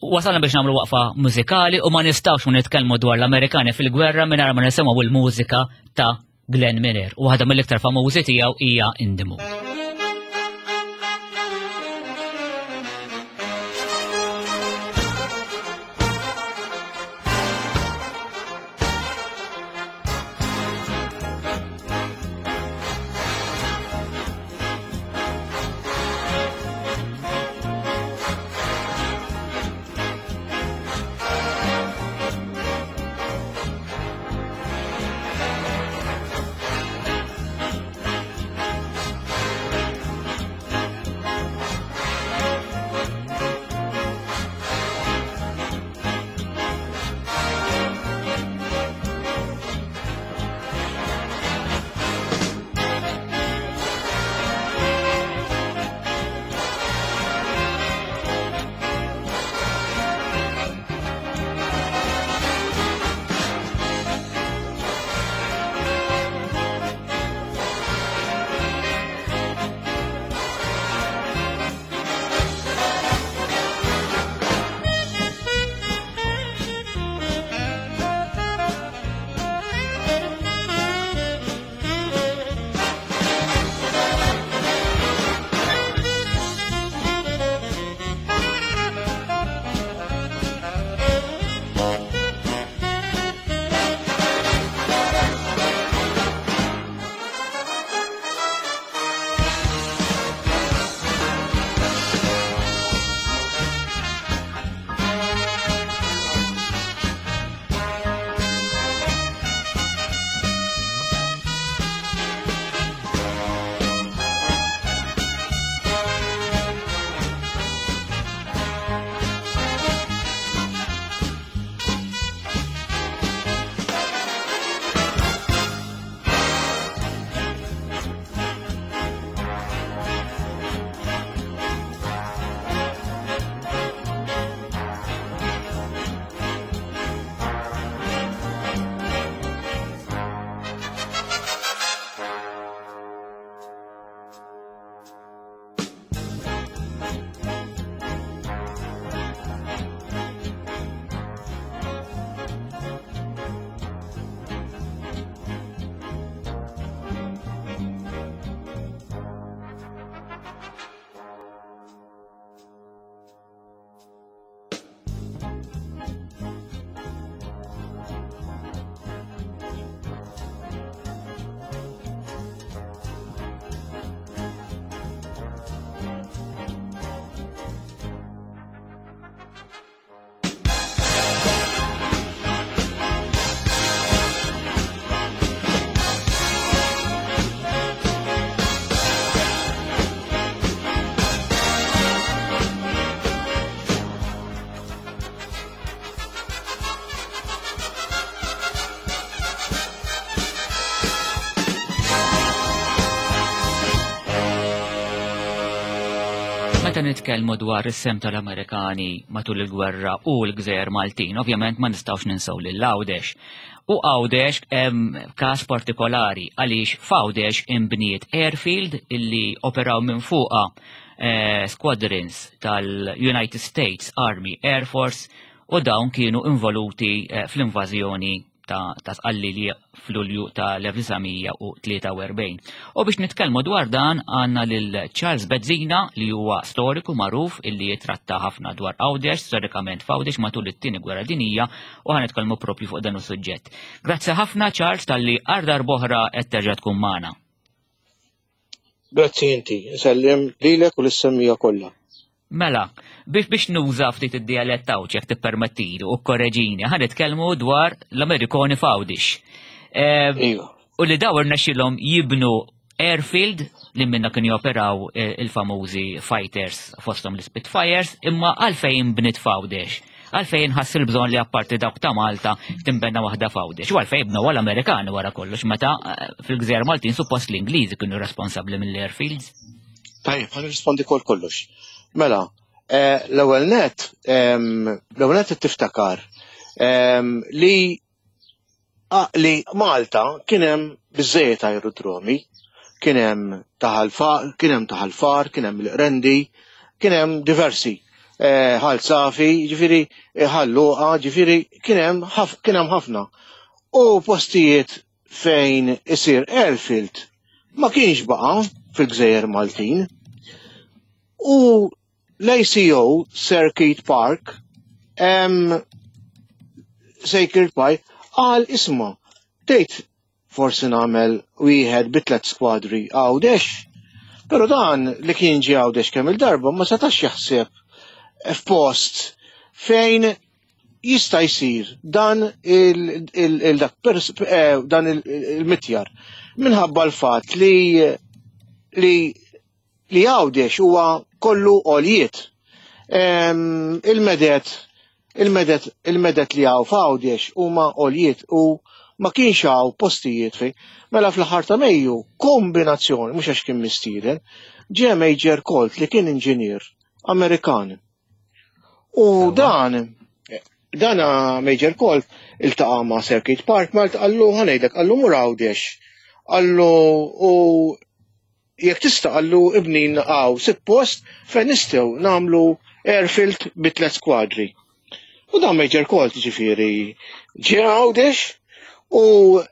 wasalna biex nagħmlu waqfa mużikali u ma nistgħux ma nitkellmu dwar l-Amerikani fil-gwerra mingħajr ma nisimgħu l-mużika ta' Glenn Miller. U waħda mill-iktar famużi tiegħu hija In the Mood. nitkellmu dwar is-sehem tal-Amerikani matul il-gwerra u l-gżejjer Maltin, ovvjament ma nistgħux ninsew lil Għawdex. U Għawdex hemm każ partikolari għaliex f'Għawdex inbniet airfield illi operaw minn fuqha eh, squadrons tal-United States Army Air Force u dawn kienu involuti eh, fl-invażjoni ta' Sqallilja f'Lulju tal-1943. U biex nitkellmu dwar dan għandna lil Charles Bezzina li huwa storiku magħruf illi jitratta ħafna dwar Għawdex, storikament f'Għawdex matul it-tieni gwerra dinija u ħa nitkellmu propju fuq dan is-suġġett. Grazzi ħafna Charles talli għal darb'oħra qed terġa' tkun magħna. Grazzi inti, nsellim lilek u lis-semmija kollha. Mela, biex biex nuża ftit id-dialett tawċ jekk tippermettili u korreġini, ħa nitkellmu dwar l-Amerikoni f'Għawdix. Eh, iva. U li daw irnexxilhom jibnu airfield li minna kienu joperaw eh, il-famużi fighters fosthom l-Spitfires, imma għalfejn bnit f'Għawdex. Għalfejn ħass il-bżonn li apparti dawk ta' Malta timbenna waħda f'Għawdex. U għalfejn bnew għall-Amerikani wara kollox meta eh, fil-Gżejjer Maltin suppost l-Ingliżi kienu responsabbli mill-airfields. Tajjeb, ħa nirrispondi kol kollox. Mela, eh, l-ewwel net, l-ewwel net tiftakar li Ah, li Malta kien hemm biżejjed aerodromi, kien hemm kien hemm taħal-far, kien hemm l-Qrendi, kien hemm diversi. Eh, ħal Safi, ġifieri eh, ħal Luqa, ġifieri kien hemm kien hemm ħafna. U postijiet fejn isir airfield ma kienx baqa' fil-Gżejjer Maltin. U L-ACO Sir Keith Park, Sir Keith Park, qal isma' tgħid forsi nagħmel wieħed bi tliet skwadri Għawdex. Però dan li kien ġie Għawdex kemm il-darba ma setax jaħseb f'post fejn jista' jsir dan il-dak dan il-mitjar minħabba l-fatt li li li Għawdex huwa kollu għoljiet. Il-medet il-medet il-medet li hawn f'Għawdex huma għoljiet u ma kienx hawn postijiet fejn. Mela fl-aħħar ta' Mejju kombinazzjoni mhux għax kien mistieden, ġie Major Colt li kien inġinier Amerikan. U dan dan Major Colt iltaqa' ma' Sir Keith Park Malt qallu ħanejdlek qallu mur Għawdex. Qallu u Jekk tista' qallu ibnin hawn sitt post fejn nistgħu nagħmlu airfield bi tliet skwadri. U dan Major Colt ġifieri ġie Għawdex u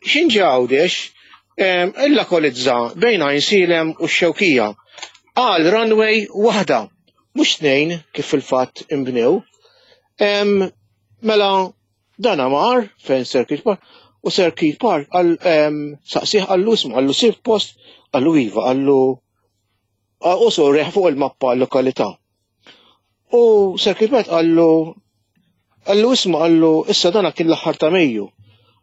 x'in ġie Għawdex illakolizza bejn Għajnsielem u x-Xewkija għal runway waħda, mhux tnejn kif fil-fatt inbnew. Mela Dana mar fejn Sir Keith Park u Sir Keith Park għal saqsih għallu ismu għallu sir post għallu iva għallu u sorreħ fuq il-mappa l-lokalità. U Sir Keith Park għallu għallu ismu għallu issa dana kien l-aħħar ta' Mejju.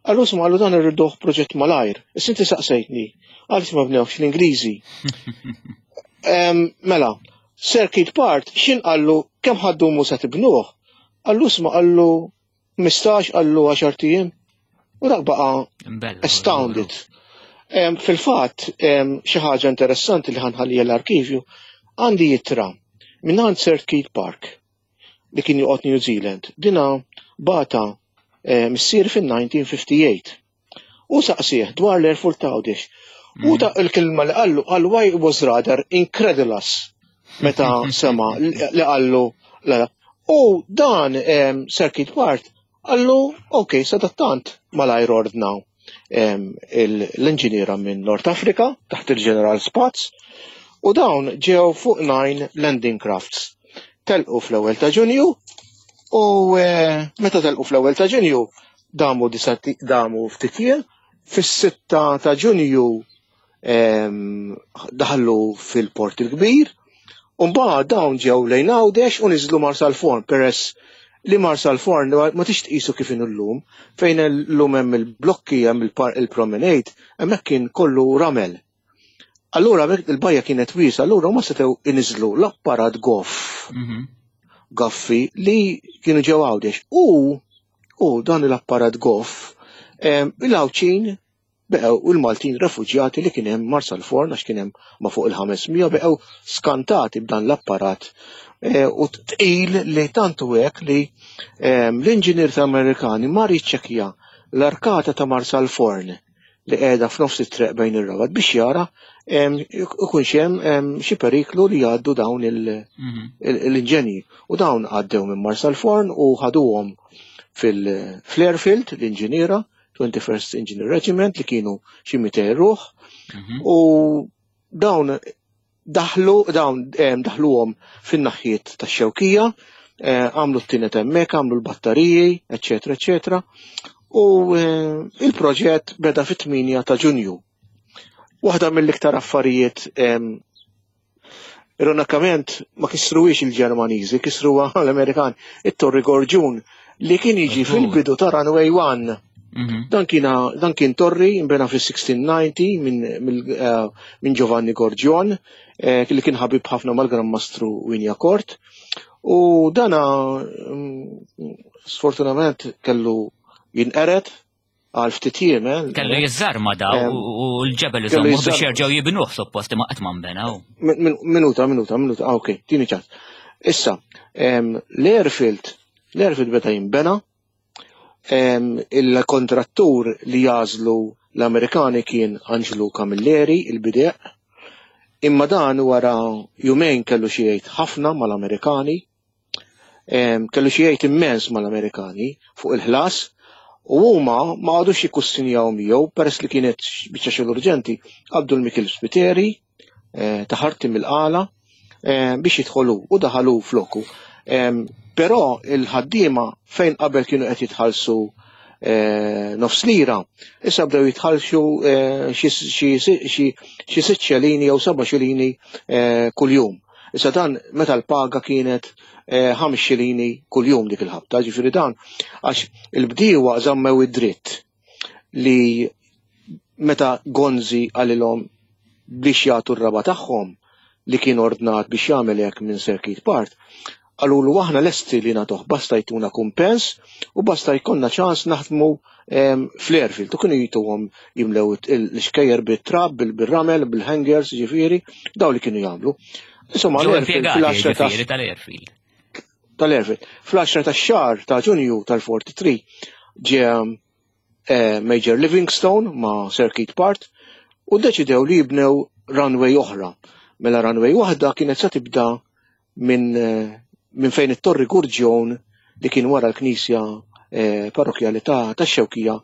Għallu ismu għallu dan irriduh proġett malajr. Issa inti saqsejtni għaliex ma bnewx l-Ingliżi. Mela, Sir Keith Park x'in qallu kemm ħaddumu sa tibnuh? Qallu isma' qallu 15 qallu 10 ijiem. U dak baqa' astounded. Fil-fatt, xi ħaġa interessanti li ħanħalli l-arkivju, għandi jittra minn Sir Keith Park li kien joqgħod New Zealand. Dina bata missier fin-1958. U saqsih dwar l-Airfort ta' Għawdex. U ta' il-kelma li qallu qal why was rather incredulous meta sema li qallu U dan Sir Keith Ward qallu ok sadattant malajr ordna l-inġiniera minn North Africa taħt il-Ġeneral Spatz u dawn ġew fuq nine landing crafts. Telqu fl-ewwel ta' Ġunju u eh, meta telqu fl-ewwel ta' Ġunju damu damu ftit jiem, fis-6 ta' Ġunju daħlu fil-Port il-Kbir, u mbagħad dawn ġew lejn Għawdex u niżlu Marsalforn peress li Marsalforn ma tix tqisu kif inhu llum, fejn illum hemm il-blokki hemm il-promenade, hemmhekk kien kollu ramel. Allura il-bajja kienet wiesa, allura ma setgħu iniżlu l-apparat goff. Mhm. Goffi li kienu ġew Għawdex. U u dan l-apparat goff il-Għawdxin Beqgħu u l-Maltin refuġjati li kien hemm Marsalforn għax kien hemm ma' fuq il-500 beqgħu skantati b'dan l-apparat eh, u tqil li tant hu hekk li ehm, l-inġinier ta' Amerikani mar jiċċekkja l-arkata ta' Marsalforn li qiegħda f'nofs it-triq bejn ir-Rabat biex jara ehm, ikunx hemm ehm, xi periklu li jgħaddu dawn mhm. l-inġenji. U dawn għaddew minn Marsalforn u ħaduhom fil-airfield l-inġiniera 21st Engineer Regiment li kienu xi 200 ruħ mhm. u dawn daħlu dawn daħluhom fin-naħjiet tax-xewkija, eh, għamlu t-tinet hemmhekk, għamlu l-battariji, eċetera, eċetera. U eh, il-proġett beda fit-8 ta' Ġunju. Waħda mill-iktar affarijiet Ironikament ma kisruhiex il-Ġermaniżi, kisruha l-Amerikan, it-Torri Gorġun li kien jiġi fil-bidu ta' Runway 1. Mhm. Dan kien dan kien torri imbena fis-1690 minn eh, min Giovanni Gorgion eh, li kien ħabib ħafna mal-Gran Mastru Wignacourt. U dana mm, sfortunatament kellu jinqered għal ftit jiem. Eh, kellu jiżżarma da u l-ġebel iżommu biex jerġgħu jibnuh suppost imma qatt ma nbenaw. Minuta, minuta, minuta, ah, ok, tini ċans. Issa, l-airfield, l-airfield beda jinbena, il-kontrattur li jażlu l-Amerikani kien Angelo Camilleri, il-bideq, imma dan wara jumejn kellu xi jgħid ħafna mal-Amerikani, kellu xi jgħid immens mal-Amerikani fuq il-ħlas u huma ma għadux jikkussinjaw miegħu peress li kienet biċċa xogħol urġenti qabdu l-Mikil Spiteri eh, taħarti mill-qala eh, biex jidħolu u daħalu floku. Però il-ħaddiema fejn qabel kienu qed jitħallsu eh, nofs lira, issa bdew jitħallsu xi sitt xelini jew seba' xelini kuljum. Issa dan meta l-paga kienet eh, ħames xilini kuljum dik il-ħabta, ġifieri dan għax il-bdiewa żammew id-dritt li meta Gonzi qalilhom biex jagħtu r-raba tagħhom li kien ordnat biex jagħmel hekk minn Sir Keith Part, qalulu aħna lesti li nagħtuh basta jtuna kumpens u basta jkollna ċans naħdmu fl-airfield. U kienu jituhom jimlew l-xkejjer bit-trab, bil-ramel, bil-hangers, ġifieri, daw li kienu jagħmlu. Insomma, l-airfield fl-10 tal-airfield. Tal-airfield. Fl-10 ta' xahar ta' Ġunju tal-43 ġie eh, Major Livingstone ma' Sir Keith Part u deċidew li jibnew runway oħra. Mela runway waħda kienet se tibda minn eh, min fejn it-Torri Gurġjon li kien wara l-knisja eh, parrokjali ta' tax-Xewkija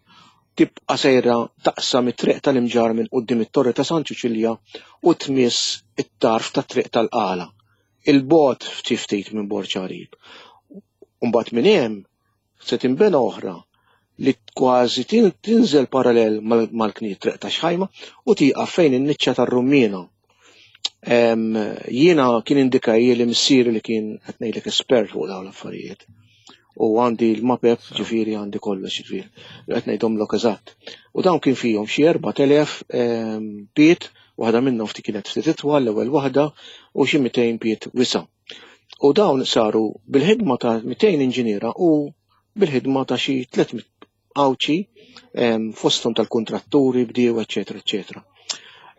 tibqa' sejra taqsam it-triq tal-Imġarr minn quddiem it-Torri ta' San Ċiċilja u tmiss it-tarf tat-triq tal-Qala, 'il bogħod ftit ftit minn Borġ Għarib. U mbagħad minn hemm Se tinbena oħra li kważi tinżel parallel mal-kniet triq ta' xħajma u tieqaf fejn in-niċċa tar-rummiena. Jiena kien indikaj li missieri li kien qed ngħidlek espert fuq dawn l-affarijiet. U għandi l-mapep ġifieri għandi kollox ġifieri. Qed ngħidhomlok eżatt. U dawn kien fihom xi 4000 piet, waħda minnhom ftit kienet ftit itwal l-ewwel waħda u xi 200 piet wisa'. U dawn saru bil-ħidma ta' 200 inġiniera u bil-ħidma ta' xi 300 Għawdxi fosthom tal-kuntratturi, bdiewa, eċetera, eċetera.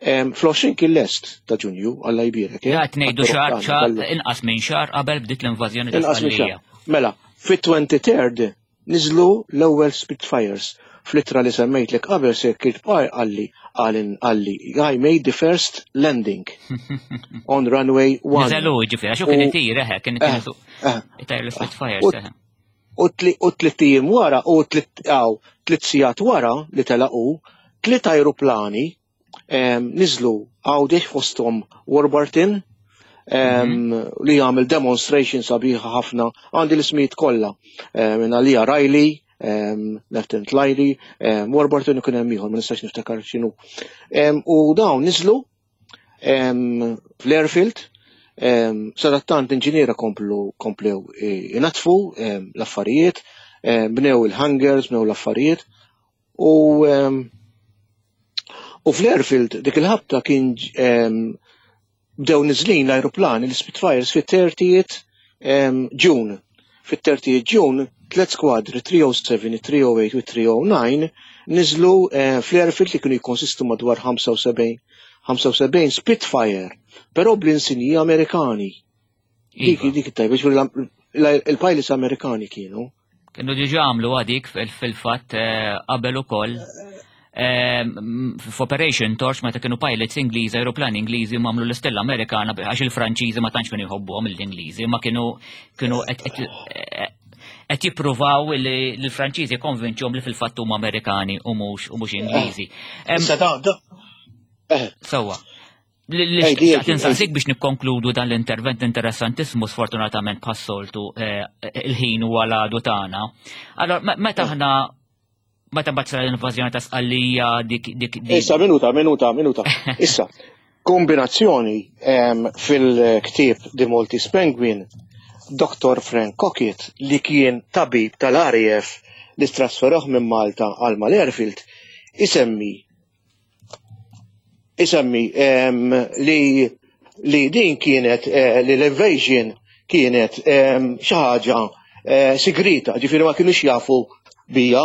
Fl-20 kien lest ta' Ġunju, Alla jbierek. Eh? Qed ngħidu xahar xahar inqas minn xahar qabel bdiet l-invażjoni ta' Sqallija. Mela, fit-23rd Niżlu l-ewwel Spitfires. Fl-ittra li semmejtlek qabel Sir Keith Parr qalli qalli I made the first landing on runway 1. Niżelu ġifieri għax hu kien itir eħe kien itir eh, eh. l-Spitfires eħe. U tlitt ijiem wara u tlitt sigħat wara li telaqu tliet ajruplani niżlu Għawdex fosthom Warburton mhm. li jagħmel demonstration sabiħa ħafna għandi l-ismijiet kollha minn għalija Riley, Lieutenant Riley, Warburton ikun hemm ieħor ma nistax niftakar x'inhu. U dawn niżlu fl-airfield sadattant inġiniera komplu komplew inatfu l-affarijiet, bnew il-hangars, bnew l-affarijiet U u fl-airfield dik il-ħabta kien bdew niżlin l-ajruplani l-Spitfires fit-30 June. Fit-30 June tliet skwadri 307, 308 u 309 niżlu eh, fl-airfield li kienu jikkonsistu madwar 75 75 Spitfire, però bl-insinji Amerikani. Dik iva. dik tajba, il-pilots Amerikani kienu. Kienu diġa għamlu għadik fil-fatt eh, qabel ukoll eh, f'Operation Torch meta kienu pilots Ingliżi, aeroplani Ingliżi mamlu l-istella Amerikana għax il-Franċiżi ma tantx kienu jħobbuhom l-Ingliżi, ma kienu kienu qed jippruvaw li l-Franċiżi konvinċhom li fil-fatt huma Amerikani u mhux u mhux Ingliżi. Sewwa. Li tinsaqsik biex nikkonkludu dan l-intervent interessantissimu sfortunatament bħas-soltu eh, il-ħin u għal-għadu tagħna. Allora, meta eh. aħna meta mbagħad l-invażjoni ta' Sqallija dik dik Issa minuta, minuta, minuta. Issa, kombinazzjoni fil-ktieb The Maltese Penguin, Dr. Frank Cockett li kien tabib tal-RAF li trasferoh minn Malta għal Mal-Airfield, isemmi isemmi li li din kienet eh, li l-invasion kienet xi ħaġa eh, sigrita, ġifieri ma kienux jafu bija,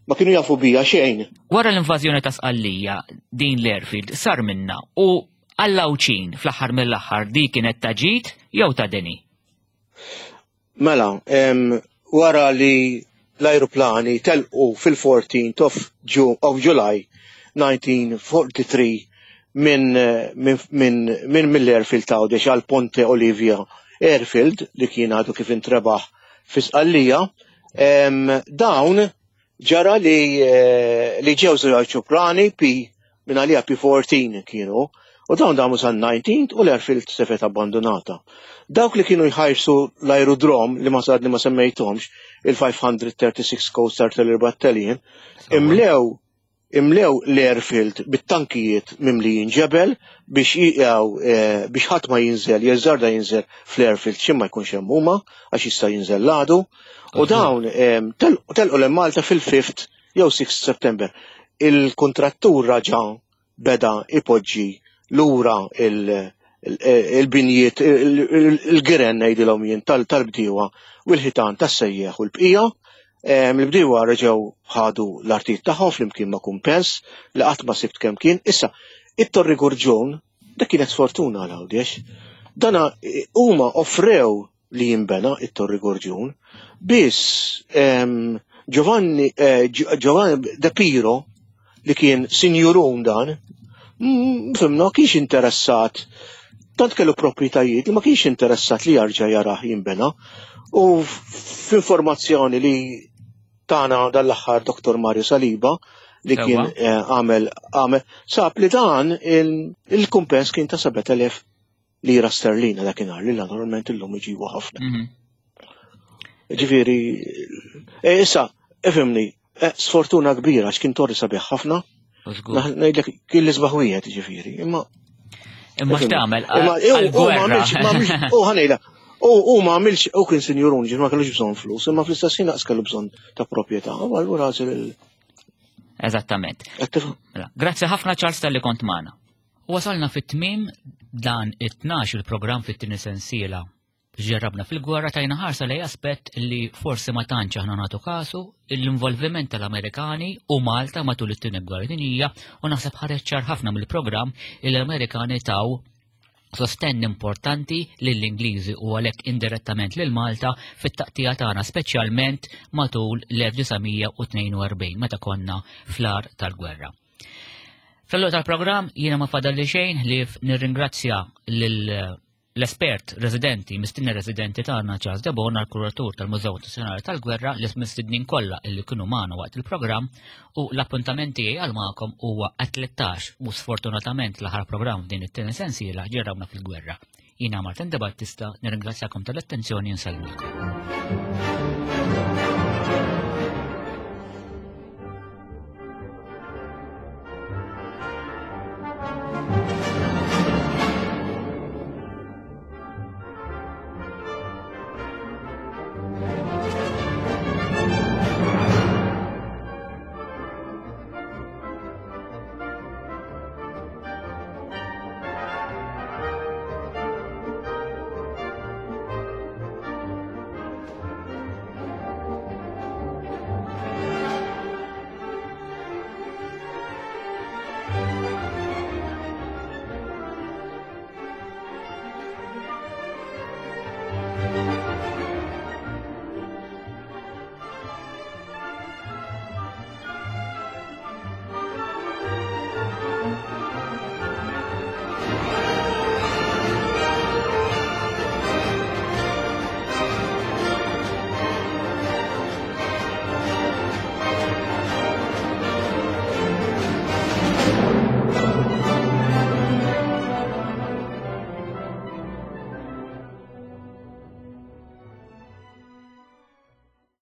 ma kienu jafu bija xejn. Wara l-invażjoni ta' Sqallija din l-airfield sar minna u għall-Għawdxin fl-aħħar mill-aħħar di kienet ta' ġid jew ta' deni? Mela, wara li l-ajruplani telqu fil-14 of, of July 1943 minn min, min, min mill-airfield ta' Għawdex għal Ponte Olivia Airfield li kien għadu kif intrebaħ fi Sqallija, dawn Ġara li eh, li ġew żewġ ajruplani P minn għalija P14 kienu u dawn damu sa 19 u l-airfield sefet abbandonata. Dawk li kienu jħajsu l-aerodrom li ma sadni ma semmejthomx il-536 Coast Artillery Battalion imlew imlew l-airfield bit-tankijiet mimlijin ġebel biex jiqgħu eh, biex ħadd ma jinżel, jeżżarda jinżel fl-airfield xi ma jkunx hemm huma għax jista' jinżel l-għadu. U dawn eh, telqu l Malta fil-5 jew 6 September. Il-kontrattur raġa beda ipoġġi lura il-binjiet, il-giren ngħidilhom jien tal-bdiewa u l-ħitan tas-sejjeħ u l-bqija. Il-bdiewa reġgħu ħadu l-artijiet tagħhom flimkien ma' kumpens li qatt ma sibt kemm kien. Issa, it-Torri Gurġun, dak kienet sfortuna għal Għawdex. Dana huma offrew li jinbena it-Torri Gorġun, biss Giovanni, eh, Giovanni De Piro li kien sinjurun dan, mm, fimna kienx interessat, tant kellu proprjetajiet li ma kienx interessat li jarġa' jarah jinbena. U f'informazzjoni li tana dal-aħħar Dr. Mario Saliba li kien eh, għamel għamel sab li dan il-kumpens kien ta' 7000 lira sterlina dakinhar li naturalment illum iġibu ħafna. Mhm. Ġifieri, e, issa, ifhimni, e, sfortuna kbira x'kien torri sabiħ ħafna. Ngħidlek kien l-isbaħ wieħed ġifieri, imma Imma x'tagħmel? Imma u ħanejla, u ma għamilx u kien sinjurun ġifieri ma kellux bżonn flus, imma fl-istess ħin naqs kellu bżonn ta' proprjetà, u allura għażel il Eżattament. Mela, grazzi ħafna Charles tal-li kont magħna. Wasalna fit-tmiem dan it-tnax il-programm fit-tieni sensiela. Ġerrabna fil-gwerra tajna ħarsa lej aspett li forsi ma tantx aħna nagħtu kasu l-involviment tal-Amerikani u Malta matul it-tieni gwerra dinjija u naħseb ħareġ ċar ħafna mill-programm li l-Amerikani taw sostenn importanti lill-Ingliżi u għalhekk indirettament lil Malta fit-taqtija tagħna speċjalment matul l-1942 meta konna fl-ar tal-gwerra. Fl-għalluq tal-programm jiena ma fadalli xejn li nirringrazzja l-espert residenti, mistinna residenti tagħna Charles Debon għal-kuratur tal-Mużew Nazzjonali tal-Gwerra li mistednin kollha illi kienu magħna waqt il-programm u l-appuntament tiegħi għal magħkom huwa 13 u sfortunatament l-aħħar programm f'din it-tieni sensiela ġerrawna fil-gwerra. Jiena Martin De Battista, nirringrazzjakom tal-attenzjoni nsellmilkom.